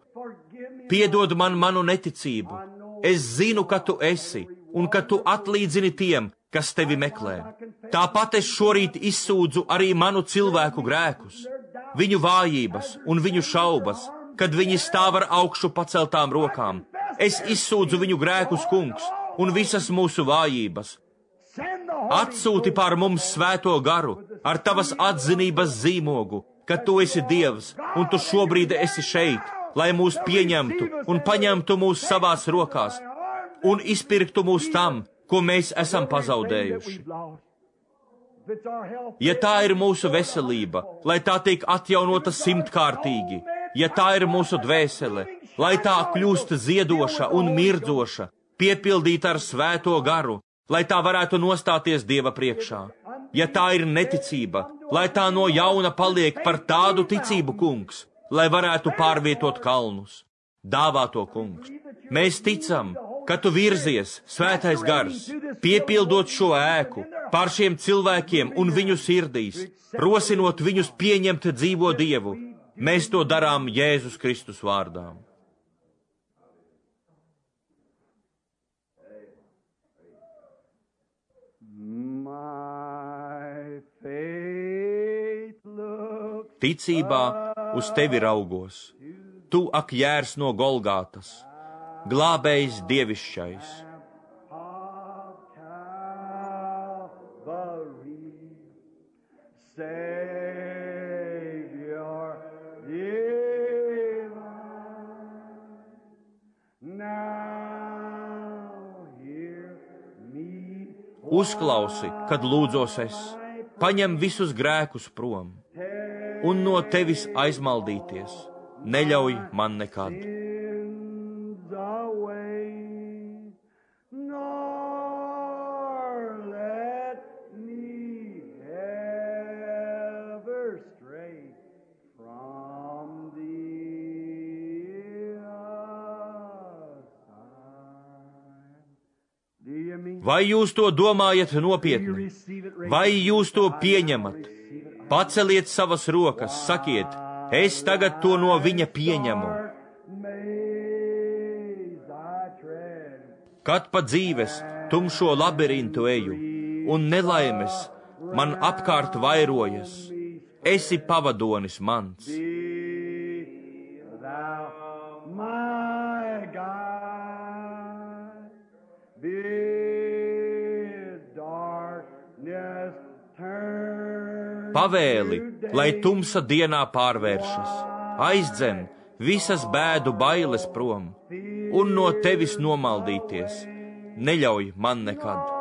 piedod man manu neticību. Es zinu, ka tu esi un ka tu atlīdzini tiem, kas tevi meklē. Tāpat es šorīt izsūdzu arī manu cilvēku grēkus, viņu vājības un viņu šaubas, kad viņi stāv ar augšu paceltām rokām. Es izsūdzu viņu grēkus, Kungs, un visas mūsu vājības. Atsūti pār mums svēto garu ar tavas atzinības zīmogu, ka tu esi Dievs un tu šobrīd esi šeit, lai mūs pieņemtu un paņemtu mūs savās rokās un izpirktu mūs tam, ko mēs esam pazaudējuši. Ja tā ir mūsu veselība, lai tā tiek atjaunota simtkārtīgi, ja tā ir mūsu dvēsele, lai tā kļūst ziedoša un mirdzoša, piepildīta ar svēto garu, lai tā varētu nostāties Dieva priekšā. Ja tā ir neticība, lai tā no jauna paliek par tādu ticību, Kungs, lai varētu pārvietot kalnus. Dāvā to, Kungs. Mēs ticam, ka tu virzies, svētais gars, piepildot šo ēku pār šiem cilvēkiem un viņu sirdīs, rosinot viņus pieņemt dzīvo Dievu. Mēs to darām Jēzus Kristus vārdā. Ticībā uz tevi raugos, tu, ak, jērs no Golgātas, glābējs dievišķais. Uzklausi, kad lūdzos es, paņem visus grēkus prom, un no tevis aizmaldīties neļauj man nekad. Vai jūs to domājat nopietni? Vai jūs to pieņemat? Paceliet savas rokas, sakiet, es tagad to no viņa pieņemu. Kad pa dzīves tumšo labirintu eju, un nelaimes man apkārt vairojas, esi pavadonis mans. Pavēli, lai tumsa dienā pārvēršas, aizdzen visas bēdu bailes prom, un no tevis nomaldīties neļauj man nekad.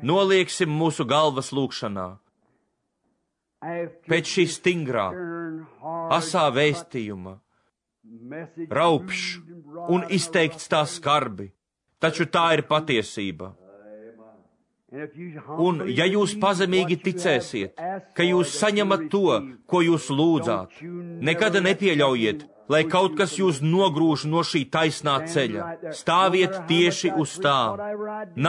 Nolieksim mūsu galvas lūgšanā. Pēc šī stingrā, asā vēstījuma raupšs un izteikts tā skarbi, taču tā ir patiesība. Un ja jūs pazemīgi ticēsiet, ka jūs saņemat to, ko jūs lūdzāt, nekad nepieļaujiet, lai kaut kas jūs nogrūž no šī taisnā ceļa. Stāviet tieši uz tā.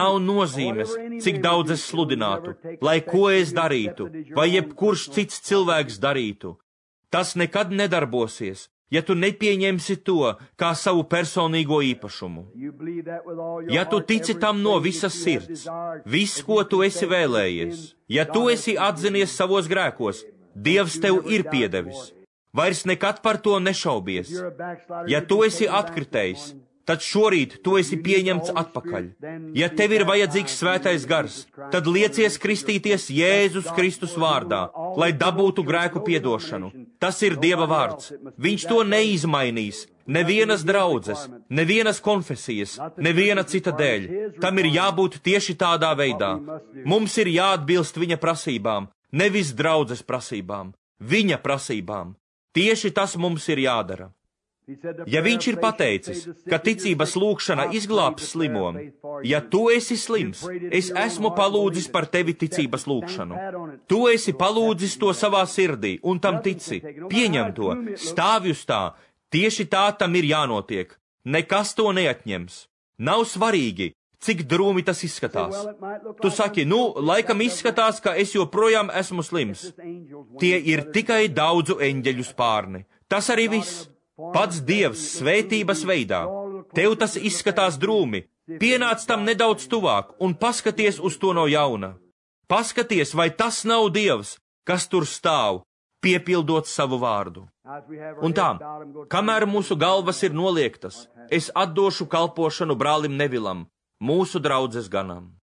Nav nozīmes, cik daudz es sludinātu, lai ko es darītu, vai jebkurš cits cilvēks darītu. Tas nekad nedarbosies, ja tu nepieņemsi to kā savu personīgo īpašumu. Ja tu tici tam no visas sirds, viss, ko tu esi vēlējies, ja tu esi atzinies savos grēkos, Dievs tev ir piedevis. Vairs nekad par to nešaubies. Ja tu esi atkritējis, tad šorīt tu esi pieņemts atpakaļ. Ja tev ir vajadzīgs svētais gars, tad liecies kristīties Jēzus Kristus vārdā, lai dabūtu grēku piedošanu. Tas ir Dieva vārds. Viņš to neizmainīs. Nevienas draudzes, nevienas konfesijas, neviena cita dēļ. Tam ir jābūt tieši tādā veidā. Mums ir jāatbilst viņa prasībām, nevis draudzes prasībām, viņa prasībām. Tieši tas mums ir jādara. Ja viņš ir pateicis, ka ticības lūgšana izglābs slimo, ja tu esi slims, es esmu palūdzis par tevi ticības lūgšanu. Tu esi palūdzis to savā sirdī un tam tici. Pieņem to, stāvi uz tā, tieši tā tam ir jānotiek. Nekas to neatņems. Nav svarīgi, cik drūmi tas izskatās. Tu saki, nu, laikam izskatās, ka es joprojām esmu slims. Tie ir tikai daudzu eņģeļu spārni. Tas arī viss. Pats Dievs svētības veidā. Tev tas izskatās drūmi. Pienāc tam nedaudz tuvāk un paskaties uz to no jauna. Paskaties, vai tas nav Dievs, kas tur stāv, piepildot savu vārdu. Un tā, kamēr mūsu galvas ir noliektas, es atdošu kalpošanu brālim Nevilam, mūsu draudzes ganam.